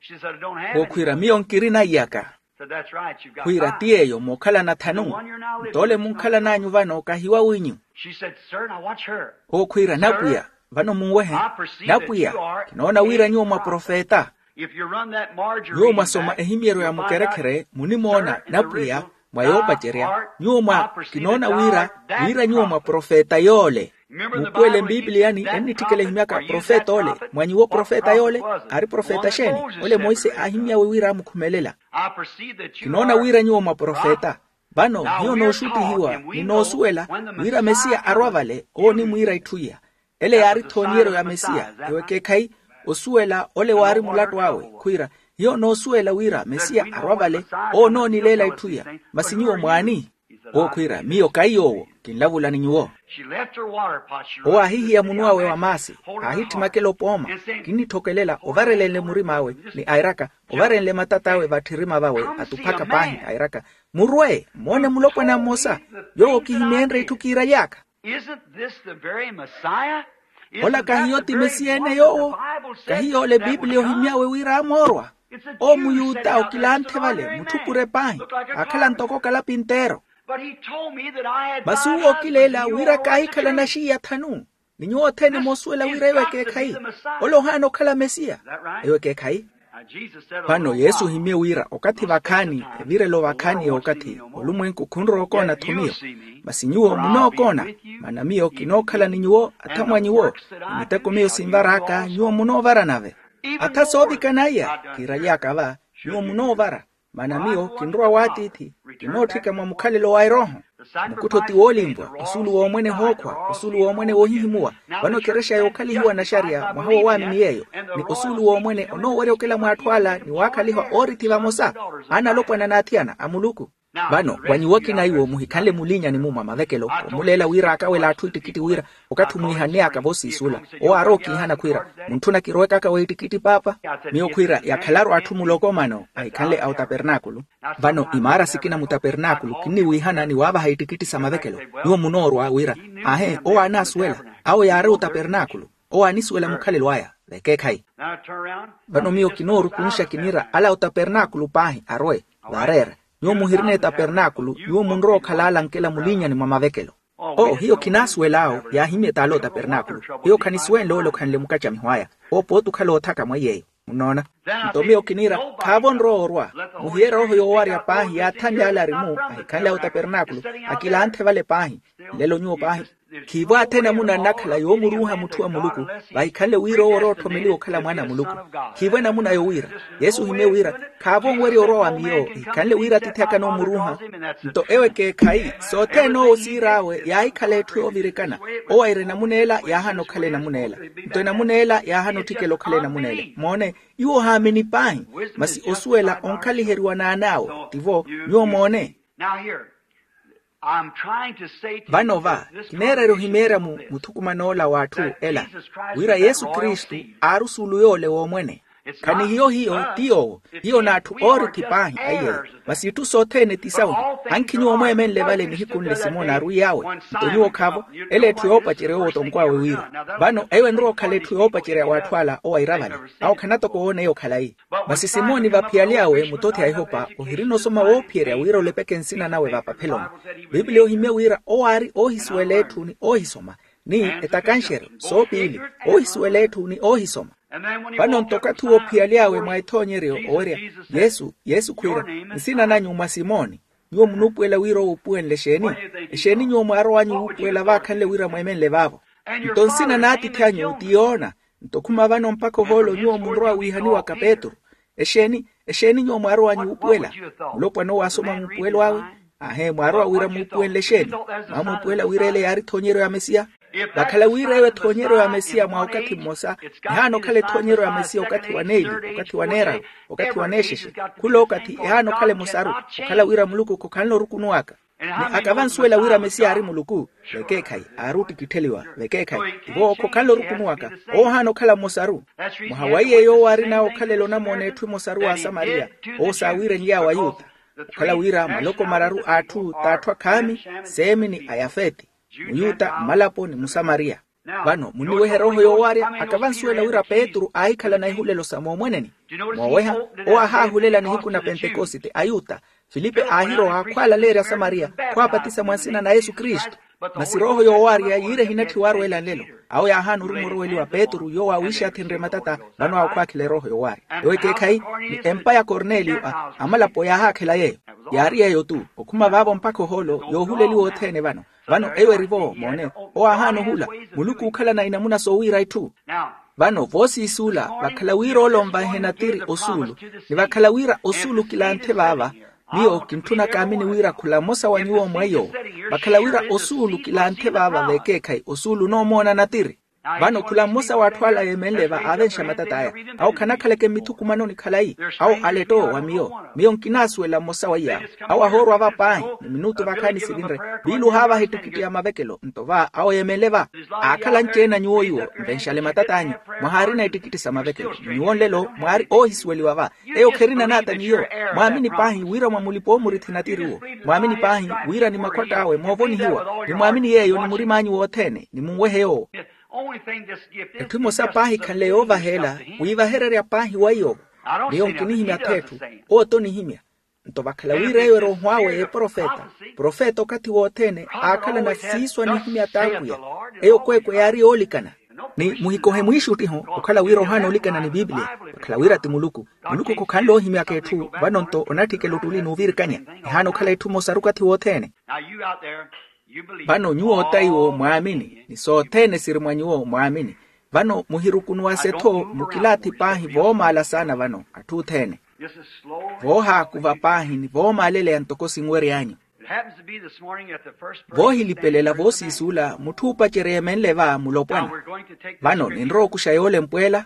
Owo khwiira miyo nkirina iyaka. Khwiira ti yeeyo mookhalana thanu. Nto ole munkhalan'anyu vano kahi wawinyu. Owo khwiira napwiya, vano munwehe. Napwiya, kinoona wira nyuwo mwa profeta. Nyuwo mwasoma ehimyeryo ya mukerekhere munimoona napwiya, mwa yoopacerya. Nyuwo mwa kinoona wira, wira nyuwo mwa profeta yoole. Muupuwele mpipiliyani ennitthikela ehimyaka profeta ole. Mwa nyuwo profeta yoole? Aari profeta xeeni? Ole monse aahimyawe wira aamukhumelela. Kinoona wira nyuwo mwa profeta. Vano hiyo nooxuttihiwa ni noosuwela wira mesiya arwa vale owo onimwiira itthu iya. Ele yaari thooniyeryo ya mesiya. Ewo ekeekhayi? Osuwela ole waari mulattu awe khwiira, hiyo noosuwela wira mesiya arwa vale owo onoonileela itthu iya. Masi nyuwo mwaani? Owo khwiira miyo kahi yoowo. Kinlavula ni nyuwo. Owo aahihiya munu awe wa maasi, aahittimakela opooma. Kinnitthokelela ovarelenle murim'awe ni airaka, ovarenle matat'awe vatthirima vawe atuphaka paahi airaka, murwe moone mulopwana mmosa yoowo kihimeenre itthu kiiraly'aka. Ola kahiyo ti mesiya ene yoowo? Kahiyo ole bibiliya ohimy'awe wira amoorwa. Owo muyuta okilanthe vale mutthupure paahi, aakhala ntoko kalapinteero. Masi uwo okileela wira kaahikhala naxiya thanu. Ni nyuwo othene moosuwela wira eyo ekeekhayi. Ole ohaana okhala mesiya. Eyo ekeekhayi. Vano yesu ohimye wira okathi vakhaani, evirelo vakhaani y'okathi olumwenku khunrowa okoona-tho miyo. Masi nyuwo munookoona, maana miyo kinookhala ni nyuwo atha mwa nyuwo. Ni miteko miyo sinvar'aka nyuwo munoovara nave. Atha soovikana iya kiiraly'aka va, nyuwo munoovara. Maana miyo kinrowa w'atiithi, kinootthika mwa mukhalelo wa erooho. Mukuttho ti woolimpwa, osuulu w'omwene hookhwa, osuulu w'omwene woohihimuwa. Vano ekerexa yookhalihiwa naxariya mwaha wowaamini yeeyo, ni osuulu w'omwene onoowerya okela mw'atthu ala ni waakhaliha oorithi vamosa. Aana alopwana n'athiyana a muluku. Vano wa nyuwo akina iwo muhikhanle mulinyani-mu mwa mavekelo, omuleela wira aakawela atthu ittikitti wira, okathi omwiihanneyaka voosiisula. Owo aarowa okiihana khwiira, muntthuna kirowekaka w'ittikitti paapa? Miyo khwiira yakhalaru atthu muloko mano ahikhanle a otapernaakulu. Vano imaara sikina mutapernaakulu kinniwiihana ni waavaha ittikitti sa mavekelo. Nyuwo munoorwa wira, aahe owo aanaasuwela. Awo yaari otapernaakulu. Owo aanisuwela mukhalelo aya. Vekeekhayi. Vano miyo kinoorukunxa kiniira ala otapernaakulu paahi arowe. Vaareera, nyuwo muhirina etapernaakulu nyuwo munrowa okhala ala ankela mulinyani mwa mavekelo. Oo hiyo khinaasuwel'awo. Yaahimya t'ala otapernaakulu. Hiyo khanisuwenle ole okhanle mukacamiho aya. Owo pooti okhala oothaka mweiy'eyo. Munnoona? Nto miyo kiniira, khaavo onrowa orwa. Muhiye erooho yoowarya paahi yaathanle ale ari-mu ahikhanle a otapernaakulu. Akilanthe vale paahi. Nlelo nyuwo paahi. Khiivo athene amuna annakhala yoomuruuha mutthu wa muluku, vahikhanle wira owo orowa otthomeliwa okhala mwaana a muluku. Khiivo enamuna yowiira, yesu ohimye wira, khaavo onwerya orwa wa miyo ehikhanle wira atiithi aka anoomuruuha. Nto ewo ekeekhayi sothene owo osiir'awe yaahikhala etthu yoovirikana. Owo aira enamuna ela yaahana okhala enamuna ela. Nto enamuna ela yaahana otthikela okhala enamuna ela. Moone, nyuwo ohaamini paahi. Masi osuwela onkhaliheriwa n'an'awe. Tivo? Nyuwo moone. Vano va kineererya ohimeerya mu muthukuman'ola w'atthu ela, wira yesu kristu aari osuulu yoole w'omwene. Khanihiyo hiyo ti yoowo. Hiyo n'atthu oorithi paahi a iyeyo. Masi itthu sothene ti sawe. Ankhi nyuwo mweemenle vale nihiku nle simoni aarwiy'awe. Nto nyuwo khaavo. Ela etthu yoopacerya owo otonkw'awe wira. Vano eyo enrowa okhala etthu yoopacerya w'atthu ala owaira vale. Awo khanatokowoona eyo khalayi. Masi simoni vaphiyale awe mutothi a ihopa ohirina osoma woophiyerya wira olepeke nsina nawe vapapheloni. Piipiliya ohimye wira owo aari oohisuwela etthu ni oohisoma, ni etakanxeryo soopiili, oohisuwela etthu ni oohisoma. Vano nto okathi woophiyalyawe mwa ethoonyeryo owerya, yesu yesu khwiira, nsina nanyu mwa simoni. Nyuwo munuupuwela wira owuupuwenle exeeni? Exeeni nyuwo mwaarow'anyu wuupuwela vaakhanle wira mweemenle vaavo? Nto nsina n'atiithi anyu ti yoona. Nto khuma vano mpakha ohoolo nyuwo munrowa wiihaniwaka petru. Exeeni exeeni nyuwo mwaarow'anyu wuupuwela? Mulopwana owo aasoma muupuwelo awe. Aahe mwaarowa wira muupuwenle exeeni? Mwaamuupuwela wira ele yaari ethoonyeryo ya mesiya. Vakhala wira eyo ethoonyeryo ya mesiya mwa okathi mmosa, ehaana okhala ethoonyeryo ya mesiya okathi wa neeli, okathi wa neeraru, okathi wa neexexe. Khula okathi ehaana okhala emosaru, okhala wira muluku khokhanle orukunuwaka. Ni akavansuwela wira mesiya aari muluku, vekeekhayi aari ottikittheliwa. Vekeekhayi tivo khokhanle orukunuwaka. Owo ohaana okhala mmosaru. Mwaha wa iye yoowo aarin'awe okhalela onamoona etthu emosaru wa asamariya, owo saawiirenly'awe ayuta. Okhala wira maloko mararu a atthu t'atthu akhaami, seemi ni ayafeti, muyuta mmalapo ni musamariya. Vano munniwehe erooho yoowarya. Akavansuwela wira petru aahikhala na ihulelo sa moomweneni. Mooweha, owo aahaahulela nihiku na pentekosite ayuta. Filipe aahirowa khwaalaleerya asamariya, khwaapatisa mwa nsina na yesu kristu. Masi erooho yoowarya yiire ehinatthiwa arweela nlelo. Awo yaahaana oruma oroweliwa petru yoowo aawiixathenrye matata. Vano awo khwaakhela erooho yoowarya ewo ekeekhayi, ni empa ya korneliyo, amalapo yaahaakhela yeeyo. Yaari yeeyo-tu. Okhuma vaavo mpakha ohoolo yoohuleliwa othene vano. Vano eyo eri-vo moone, owo aahaana ohula. Muluku ookhalana inamuna soowiira itthu. Vano voosiisuula, vakhala wira ole onvanhe natiri osuulu, ni vakhala wira osuulu kilanthe vaava, miyo kintthuna kaamini wira khula mmosa wa nyuwo mweyo. Vakhala wira osuulu kilanthe vaava vekeekhayi osuulu onoomoona natiri. Vano khula mmosa w'atthu ala yeemenle va aavenxa matat'aya. Awo khanakhaleke mmithukumanoni khalayi. Awo aletto wa miyo. Miyo nkinaasuwela mmosa wa iyaawo. Awo ahoorwa va paahi ni minutu vakhaani sivinre. Viiluha vaha ettikitti ya mavekelo nto va awo yeemenle va. Aakhala anci-ene a nyuwo iwo, nvenxale matat'anyu. Mwahaarina ettikitti sa mavekelo ni nyuwo nlelo mwaari oohisuweliwa va. Eyo kherina naata n'iyo. Mwaamini paahi wira mwa mulipa-oomurithi natiri uwo. Mwaamini paahi wira ni makhwatt'awe moovonihiwa ni mwaamini yeeyo ni murim'anyu wothene ni munwehe yoowo. Etthu emosa paahi khanle yoovaheela, wiivahererya paahi wa iyo. Miyo nkinihimya-tho etthu. Owo t'onihimya. Nto vakhala wira eyo eri ohw'awe eprofeta. Profeta okathi wothene aakhalana siiso anihimya t'apwiya. Eyo kweekwe yaari yoolikana. Ni muhikohe mwiixuttiho okhala wira ohaana olikana ni pipiliya. Vakhala wira ti muluku. Muluku khokhanle oohimyaka etthu. Vano nto onatthikela ottuli n'uvirikanya. Ehaana okhala etthu emosaru okathi wothene. Vano nyuwo ota iwo mwaamini ni sothene siri mwa nyuwo mwaamini. Vano muhirukunuwase-tho mukilaathi paahi voomaala saana vano atthu othene. Voohaakuva paahi ni voomaaleleya ntoko sinwery'anyu. Voohilipelela voosiisuula mutthu oopacerya eemenle va mulopwana. Vano ninrowa okuxa yoole mpweela.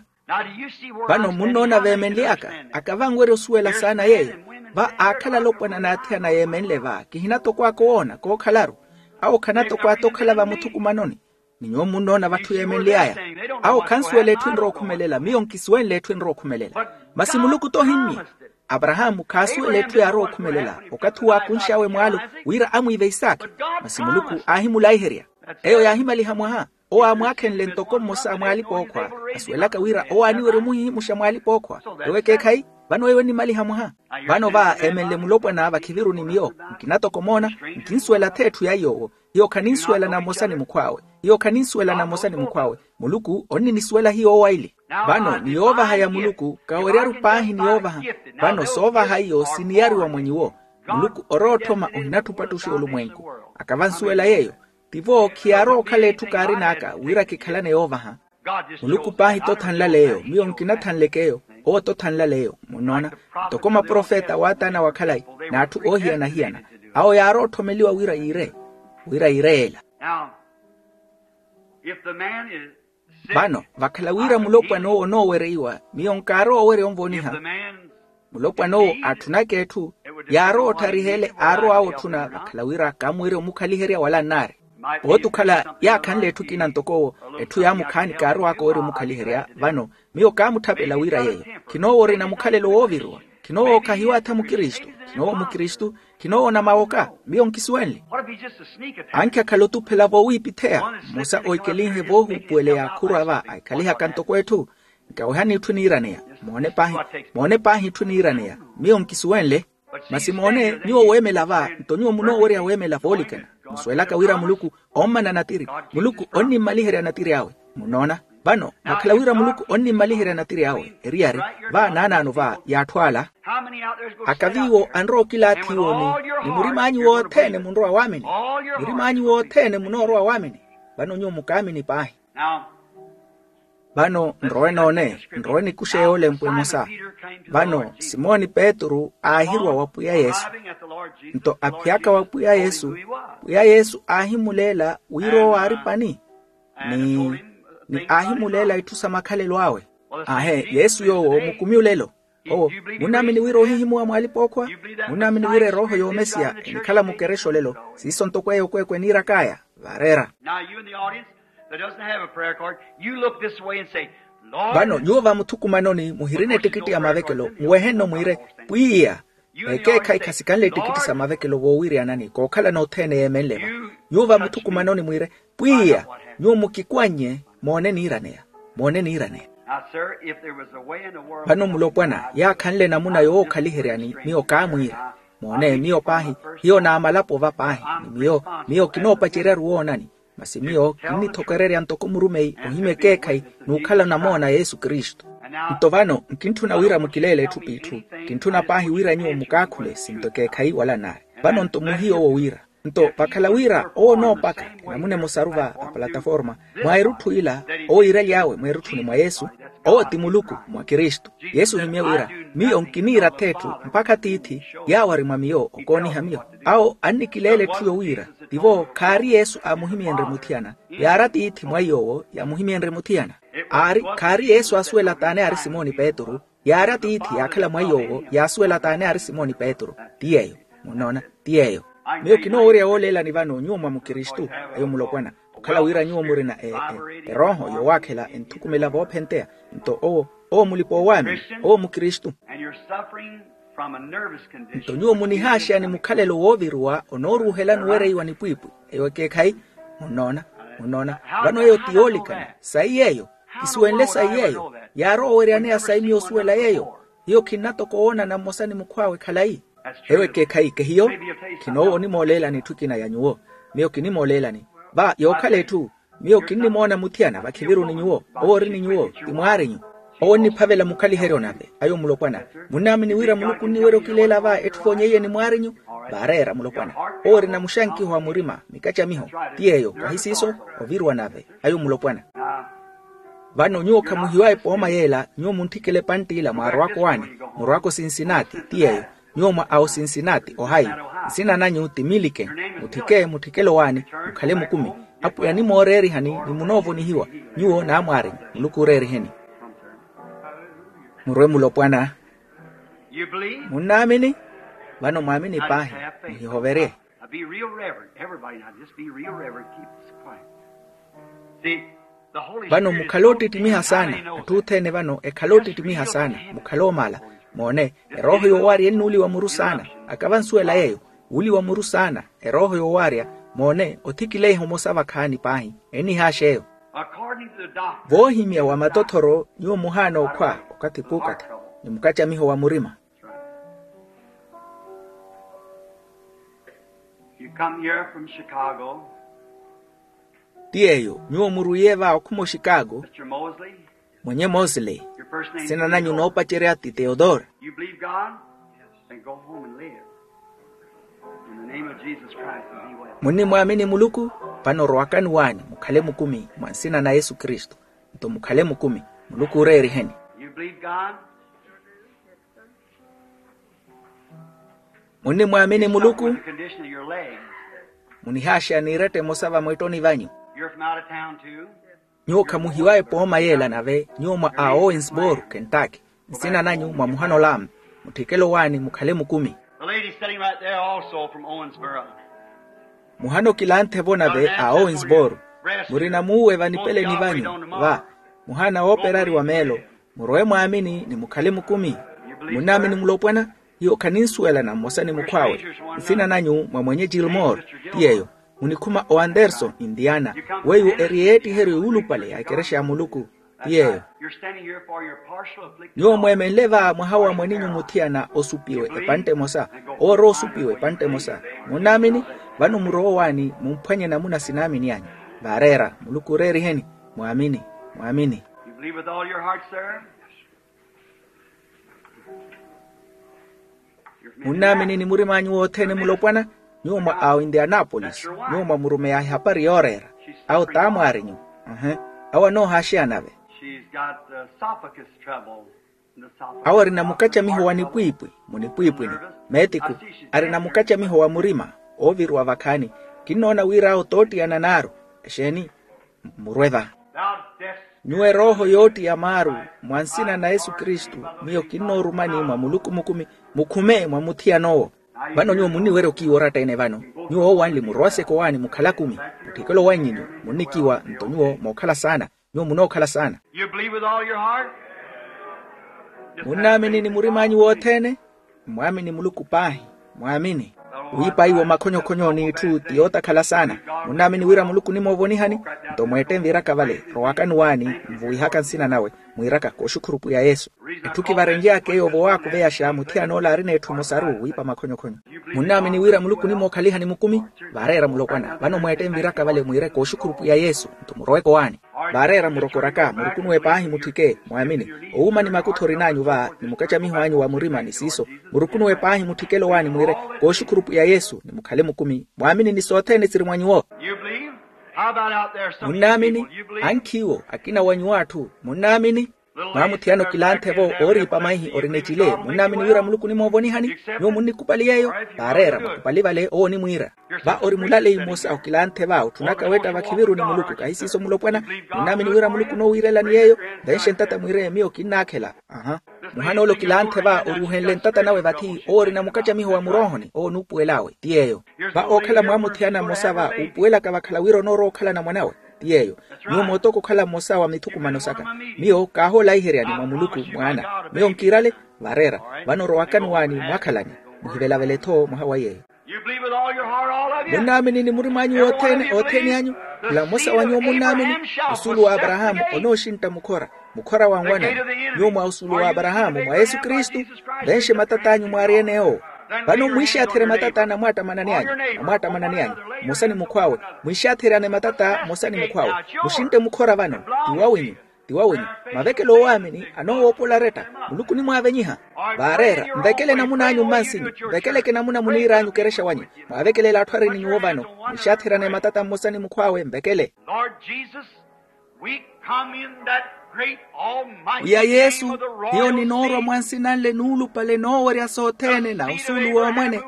Vano munnoona veemenly'aka. Akavanwerya osuwela saana yeeyo. Va aakhala alopwana n'athiyana yeemenle va kihina toko aka owoona kookhalaru. Awo khana toko ata okhala vamuthukumanoni. Ni nyuwo munnoona vatthu yeemenly'aya. Awo khansuwela etthu enrowa okhumelela miyo nkisuwenle etthu enrowa okhumelela. Masi muluku t'ohimmye. Aparahaamu khaasuwela etthu yaarowa okhumelela okathi owo aakunx'awe mwaalo wira amwiive isaakhi. Masi muluku aahimulaiherya. Eyo yaahimaliha mwaha. Owo aamwaakhenle ntoko mmosa mwa alipa-ookhwa. Asuwelaka wira owo aaniwerya omuhihimuxa mwa alipa-ookhwa. Ewo ekeekhayi. Vano eyo ennimaliha mwaha. Vano va eemenle mulopwana vakhiviru ni miyo. Nkina toko moona. Nkinsuwela-tho etthu ya iy'owo. Hiyo khaninsuwelana mmosa ni mukhw'awe. Hiyo khaninsuwelana mmosa ni mukhw'awe. Muluku onninisuwela hiyo owaili. Vano ni yoovaha ya muluku kaweryaru paahi ni yoovaha. Vano soovaha iyo siniyariwa mwa nyuwo. Muluku orowa otthoma ohinatthi opattuxa olumwenku. Akavansuwela yeeyo. Tivo khiyaarowa okhala etthu kaarin'aka wira kikhalane yoovaha. Muluku paahi t'othanlaleeyo miyo nkinathanlek'eyo. Owo t'othanlaleeyo munnoona. Ntoko maprofeta waataana wa khalayi n'atthu oohiyana-hiyana. Awo yaarowa otthomeliwa wira yiire. Wira yiire yeela. Vano vakhala wira mulopwana owo onoowereiwa miyo nkaarowa owerya onvooniha. Mulopwana owo atthunaka etthu. Yaarowa otthariha ele aarow'awe otthuna vakhala wira kaamuwerya omukhaliherya wala nnaari. Pooti okhala yaakhanle etthu ekina ntoko owo. Etthu yaamukhaani kaarow'aka owerya omukhaliherya vano. Miyo kaamutthapela wira yeeyo. Khinoowo orina mukhalelo wooviriwa. Khinoowo khahiwaatha mukristu. Khinoowo mukristu. Khinoowo onamawoka. Miyo nkisuwenle. Ankhi akhala otuphela voowiipitheya. Mmosa oikelinhe voohuupuweleya khurwa va aikhalihaka ntoko etthu. Nkawehani itthu eniiraneya. Moone paahi. Moone paahi itthu eniiraneya. Miyo nkisuwenle. Masi moone nyuwo weemela va nto nyuwo munoowerya weemela voolikana. Musuwelaka wira muluku ommana natiri. Muluku onnimmaliherya natiri awe. Munnoona. Vano vakhala wira muluku onnimmaliherya natiri awe eriyari, va naanaano va y'atthu ala. Akaviiwo anrowa okilaathi iwo ni, ni murim'anyu wothene munrowa waamini. Murim'anyu wothene munoorowa waamini. Vano nyuwo mukaamini paahi. Vano nrowe noone, nrowe nikuxe yoolempwa emosa. Vano simoni petru aahiruwa wa pwiya yesu. Nto aphiyaka wa pwiya yesu, pwiya yesu aahimuleela wira owo aari pani. Ni ni aahimuleela itthu sa makhalelo awe. Aahe yesu yoowo mukumi olelo. Owo, munnaamini wira ohihimuwa mw'alipa-ookhwa? Munnaamini wira erooho y'omesiya enikhala mukerexa olelo? Siiso ntoko eyo okweekwe eniirak'aya. Vaareera. Now you in the audience that doesn't have a prayer card, you look this way and say, Lord. Vano nyuwo va muthukumanoni muhirina ettikitti ya mavekelo muwehenno mwiire, pwiya, ekeekhayi khasikanle ettikitti sa mavekelo voowiriyanani kookhalana othene yeemenle va. Nyuwo va muthukumanoni mwiire, pwiya, nyuwo mukikwannye, moone niiraneya. Moone niiraneya. Now sir, if there was a way in the world. Vano mulopwana yaakhanle enamuna yookhaliheryani miyo kaamwiira. Moone miyo paahi, hiyo naamalapo va paahi, ni miyo, miyo kinoopacerya-ru woonani. Masi miyo kinnithokererya ntoko murumeyi ohimya ekeekhayi n'ukhala onamoona yesu kristu. Nto vano nkintthuna wira mukileele etthu p'itthu. Kintthuna paahi wira nyuwo mukaakhule sinto ekeekhayi wala naayi. Vano nto muhiya owo wira, nto vakhala wira owo onoopaka enamuna emosaru va a plataforma, mwa erutthu ila owo iiraly'awe mweerutthuni mwa yesu. Owo ti muluku mwa kristu. Yesu ohimye wira, miyo nkiniira ath'etthu mpakha tiithi yaawari mwa miyo okooniha miyo. Awo annikileela etthu yowiira, tivo khaari yesu aamuhimyenrye muthiyana, yaari atiithi mwa iy'owo yaamuhimyenrye muthiyana. Aari khaari yesu aasuwela t'ani aari simoni petru. Yaari atiithi yaakhala mwa iy'owo yaasuwela t'ani aari simoni petru. Ti yeeyo. Munnoona? Ti yeeyo. Miyo kinoowerya wooleelani vano nyuwo mwa mukristu. Ayo mulopwana, okhala wira nyuwo murina erooho yowaakhela enthukumela voophenteya. Nto owo, owo mulipa-oowaamini, owo mukristu. Nto nyuwo munihaaxeyani mukhalelo wooviruwa onooruuhelani owereiwa nipwiipwi. Eyo ekeekhayi. Munnoona? Munnoona? Vano eyo ti yoolikana sayi yeeyo. Kisuwenle sayi yeeyo. Yaarowa oweryaneya sayi miyo osuwela yeeyo. Hiyo khinna toko woonana mmosa ni mukhw'awe khalayi. Eyo ekeekhayi kehiyo. Khinoowa onimooleelani etthu ekina ya nyuwo. Miyo kinimooleelani. Va yookhala etthu, miyo kinnimoona muthiyana vakhiviru ni nyuwo. Owo ori ni nyuwo ti mwaarinyu. Owo onniphavela mukhaliheryo nave. Ayo mulopwana, munnaamini wira muluku onniwerya okileela va etthu voonyeiye ni mwaarinyu? Vaareera mulopwana. Owo orina muxankiho wa murima mikacamiho. Ti yeeyo kahi siiso. Oviruwa nave. Ayo mulopwana. Vano nyuwo khamuhiwa epooma yeela nyuwo muntthikela epantt'ila mwaarowaka owaani, murowaka osinsinati ti yeeyo. Nyuwo mwa a osinsinati ohayi, nsina nanyu ti milike. Mutthike mutthikela owaani, mukhale mukumi. Apwiya animooreerihani ni munoovonihiwa. Nyuwo n'amwaarinyu muluku ooreeriheni. Murwe mulopwana. Munnaamini? Vano mwaamini paahi. Muhihoverye. Now be real reverent. Everybody now, just be real reverent. Keep this quiet. See, the Holy Spirit is so big, I know that. Vano mukhale oottittimiha saana. Atthu othene vano ekhale oottittimiha saana. Mukhale oomala. Moone, erooho yoowaarya ennuuliwa muru saana. Akavansuwela yeeyo. Wuuliwa muru saana. Erooho yoowaarya. Moone othikileiha omosa vakhaani paahi. Ennihaax'eyo. According to the doctrine. Voohimya wa matothoro nyuwo muhaana okhwa okathi p'ukathi, ni mukacamiho wa murima. You come here from Chicago. Ti yeeyo nyuwo murwiye va okhuma oxikaago. Mwenye mosley. Nsina nanyu noopacerya ti theodore. You believe god? Then go home and live. In the name of Jesus Christ and be well. Munnimwaamini muluku? Vano rowakani waani mukhale mukumi mwa nsina na yesu kristu. Nto mukhale mukumi. Muluku ooreeriheni. You believe god? Munnimwaamini muluku? Munihaaxeya n'iretta emosa vamweettoni vanyu. Nyuwo khamuhiwa epooma yeela nave nyuwo mwa a owensboro kentucky. Nsina nanyu mwa muhana olamu. Mutthikele owaani mukhale mukumi. Muhana okilanthe-vo nave a owensboro. Murina muuwe vanipeleni vanyu va muhana wooperari wa meelo. Murowe mwaamini ni mukhale mukumi. Munnaamini mulopwana? Hiyo khaninsuwelana mmosa ni mukhw'awe. Nsina nanyu mwa mwenye gilmore. Ti yeeyo. Munikhuma o anderson indiana. Weiwo eri yeettiheryo yuulupale ya ekerexa ya muluku. Ti yeeyo. Nyuwo mweemenle va mwaha wa mwaninyu muthiyana osupiwe epantte emosa. Owo orowa osupiwe epantte emosa. Munnaamini? Vano murowe owaani mumphwanye namuna sinaamini anyu. Vaareera muluku ooreeriheni. Mwaamini. Mwaamini. You believe with all your heart, sir? Munnaamini ni murim'anyu wothene mulopwana? Nyuwo mwa aoindianapolisi, nyuwo mwamurumeya ehapari yooreera. Awo t'amwaarinyu. Awo anoohaaxeya nave. She's got the esophagus trouble. Awo arina mukacamiho wa nipwiipwi, munipwiipwini. Meetiku, arina mukacamiho wa murima, ooviruwa vakhaani. Kinnoona wira awo toottiyana naaru. Exeeni? Murwe va. Nyuwo erooho yoottiya maaru, mwa nsina na yesu kristu, miyo kinnoorumani mwa muluku mukumi, mukhume mwa muthiyan'owo. Vano nyuwo munniwerya okiiwa oratta-ene vano. Nyuwo owanli murowaseke owaani mukhala kumi. Mutthikelo wanyu nyuwo munnikiiwa nto nyuwo mookhala saana. Nyuwo munookhala saana. You believe with all your heart? Munnaamini ni murim'anyu wothene? Mmwaamini muluku paahi. Mwaamini. Wiipa iwo makhonyokhonyo n'itthu ti yootakhala saana. Munnaamini wira muluku onimoovonihani? Nto mweette nviraka vale, rowakani owaani, nvuwihaka nsina nawe, mwiiraka kooxukhuru pwiya yesu. Etthu kivarenly'aka eyo vowaakuveyaxa muthiyan'ola aari n'etthu emosaru wiipa makhonyokhonyo. Munnaamini wira muluku onimookhalihani mukumi? Vaareera mulopwana vano mweette nviraka vale mwiire kooxukhuru pwiya yesu, nto muroweke owaani. Vaareera murokoraka murukunuwe paahi mutthike mwaamini. Owuuma ni makutho orin'anyu va ni mukacamiho anyu wa murima ni siiso, murukunuwe paahi mutthikele owaani mwiire kooxukhuru pwiya yesu ni mukhale mukumi mwaamini ni sothene siri mwa nyuwo. Munnaamini? Ankhiiwo akina wa nyuwo atthu munnaamini? Mwaamuthiyana okilanthe-vo ooriipa maihi orina ecile munnaamini wira muluku onimoovonihani? Nyuwo munnikupali yeeyo. Vaareera mukupali vale owo onimwiira. Va ori mulaleyi mmosa okilanthe va otthunaka wetta vakhiviruni muluku kahi siiso mulopwana? Munnaamini wira muluku onoowiirelani yeeyo? Venxe ntata mwiire miyo kinnaakhela. Aha. Muhan'ole okilanthe va oruuhenle ntata nawe vathi owo orina mukacamiho wa muroohoni owo onuupuwel'awe ti yeeyo. Va ookhala mwaamuthiyana mmosa va uupuwelaka vakhala wira onoorowa okhalana mwan'awe ti yeeyo. Nyuwo mootoko okhala mmosa wa mithukumano saka. Miyo kaahoolaiheryani mwa muluku mwaana. Miyo nkiirale. Vaareera. Vano rowakani owaani mwakhalani. Muhivelavele-tho mwaha wa yeeyo. Munnaamini ni murim'anyu wothene othene anyu? Khula mmosa wa nyuwo munnaamini? Osuulu w'aparahaamu onooxintta mukhora, mukhora wa nwanani. Nyuwo mwa osuulu w'aparahaamu mwa yesu kristu. Venxe matat'anyu mwaari-ene owo. Vano mwiixaatherye matata namwaattamanani anyu, namwaattamanani anyu, mmosa ni mukhw'awe. Mwiixaatheryaane matata mmosa ni mukhw'awe. Muxintte mukhora vano. Ti wawinyu. Ti wawinyu. Mavekelo oowaamini anoowoopola aretta. Muluku onimwaavenyiha. Vaareera, nvekele namun'anyu mmansinyu, nvekeleke namuna muniir'anyu okerexa wanyu. Mwaavekelela atthu ari ni nyuwo vano. Mwiixaatheryaane matata mmosa ni mukhw'awe nvekele. Pwiya yesu, hiyo ninoorwa mwa nsinanle nuulupale noowerya sothene na osuulu w'omwene,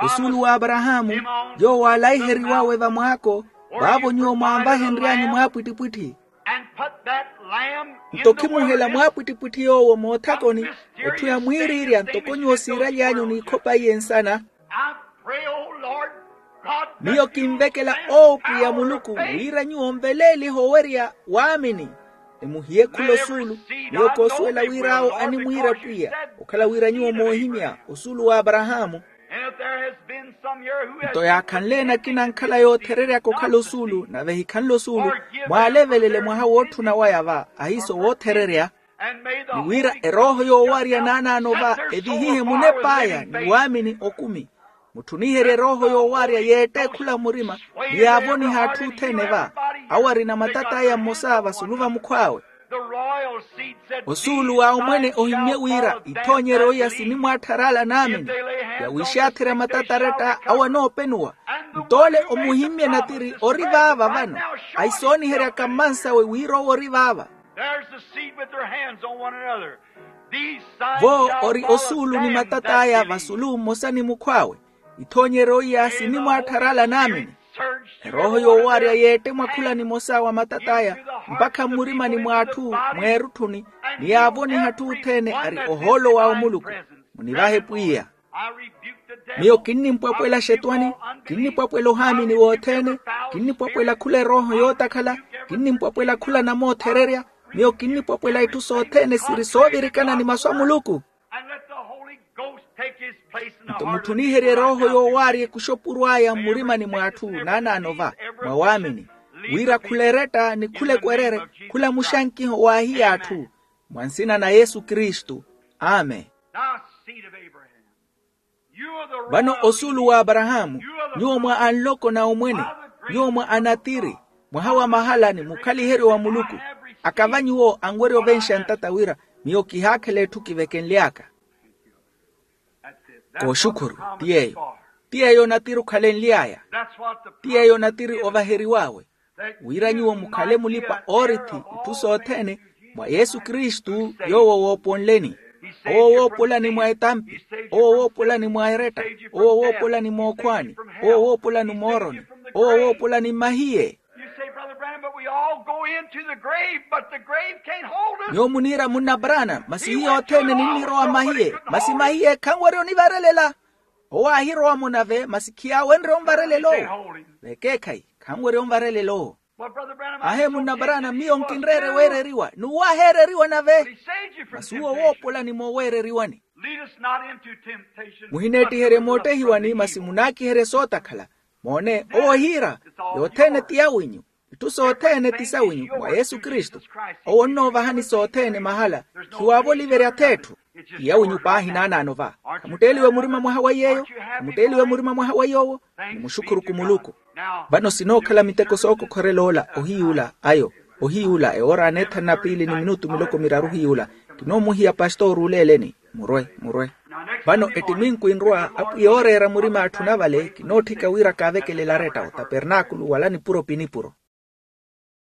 osuulu w'aparahaamu, yoowo aalaiheriwawe vamwaako, vaavo nyuwo mwaanvahenry'anyu mwaapwittipwitthi. Nto khimuhela mwaapwittipwitthi yoowo moothakoni, etthu ya mwiiriirya ntoko nyuwo siiraly'anyu n'ikhopa iye nsana. Miyo kinvekela owo pwiya muluku wira nyuwo nveleelihe owerya waamini. Ni muhiye khula osuulu. Miyo koosuwela wir'awo animwiira pwiya, okhala wira nyuwo moohimya osuulu w'aparahaamu. Nto yaakhanle-ene akina ankhala yoothereryaka okhala osuulu nave ehikhanle osuulu, mwaalevelele mwaha wootthuna waya va ahiiso woothererya. Ni wira erooho yoowarya naanaano va evihihe munep'aya ni waamini okumi. Mutthuniherye erooho yoowarya yeette khula murima, ni yaavoniha atthu othene va. Awo arina matat'aya mmosa vasulu va mukhw'awe. Osuulu wa omwene ohimmye wira ithoonyeryo iya sinimwaatthar'ala naamini. Yawiixaatherya matata aretta awo anoopenuwa. Nto ole omuhimmye natiri ori vaava vano, aisooniheryaka mmansawe wira owo ori vaava. Vo ori osuulu ni matat'aya vasulu mmosa ni mukhw'awe. Ithoonyeryo iya sinimwaatthar'ala naamini. Erooho yoowarya yeette mwa khula nimosa wa matat'aya, mpakha mmurimani mw'atthu, mw'erutthuni, ni yaavoniha atthu othene ari ohoolo wa omuluku. Munivahe pwiya. Miyo kinnimpwapwela xetwani, kinnipwapwela ohaamini wothene, kinnipwapwela khula erooho yootakhala, kinnipwapwela khula namoothererya. Miyo kinnipwapwela itthu sothene siri soovirikana ni masu a muluku. Nto mutthuniherye erooho yoowaarya ekuxopurw'aya mmurimani mw'atthu naanaano va, mwa waamini, wira khula eretta ni khula ekwerere, khula muxankiho waahiya atthu. Mwa nsina na yesu kristu. Amen. Vano osuulu w'aparahaamu, nyuwo mwa anloko na omwene, nyuwo mwa anatiri, mwaha wa mahala ni mukhaliheryo wa muluku. Akava nyuwo anwerya ovenxa ntata wira miyo kihaakhela etthu kivekenly'aka. Kooxukhuru ti yeeyo. Ti yeeyo onatiri okhalenly'aya. Ti yeeyo onatiri ovaheriw'awe, wira nyuwo mukhale mulipa oorithi itthu sothene mwa yesu kristu yoowo wooponleni. Owo woopolani mwa etampi, owo woopolani mwa eretta, owo woopolani mookhwaani, owo woopolani mooroni, owo woopolani mmahiye. You say, Brother Branham, but we all go into the grave, but the grave can't hold us. Nyuwo muniira munna brana masi hiyo othene ninnirowa mmahiye masi mahiye khanwerya onivarelela. Owo aahirowa-mo nave masi khiyaawenrye onvarelela owo. Vekeekhayi khanwerya onvarelela owo. Ahe munna brana miyo nkinreere weereriwa n'uwo aheereriwa nave. Masi uwo woopolani mooweereriwani. Muhineettiherye moottehiwani masi munaakiherye sootakhala. Moone owo ohiira yothene ti yawinyu. Itthu sothene ti sawinyu mwa yesu kristu. Owo onnoovahani sothene mahala. Khiwaavo oliverya ath'etthu. Ti yawinyu paahi naanaano va. Khamutteeliwe murima mwaha wa yeeyo. Khamutteeliwe murima mwaha wa yoowo. Nimuxukhuru kumuluku. Vano sinookhala miteko sookokhorela ola ohiyuula ayo. Ohiyuula ewoora aneethanu na piili ni minutu miloko miraru ohiyuula. Kinoomuhiya pastori oleeleni. Murwe murwe. Vano ettiminku enrwa apwiya ooreera murima atthu navale kinootthika wira kaavekelela aretta otapernaakulu wala nipuro pi nipuro.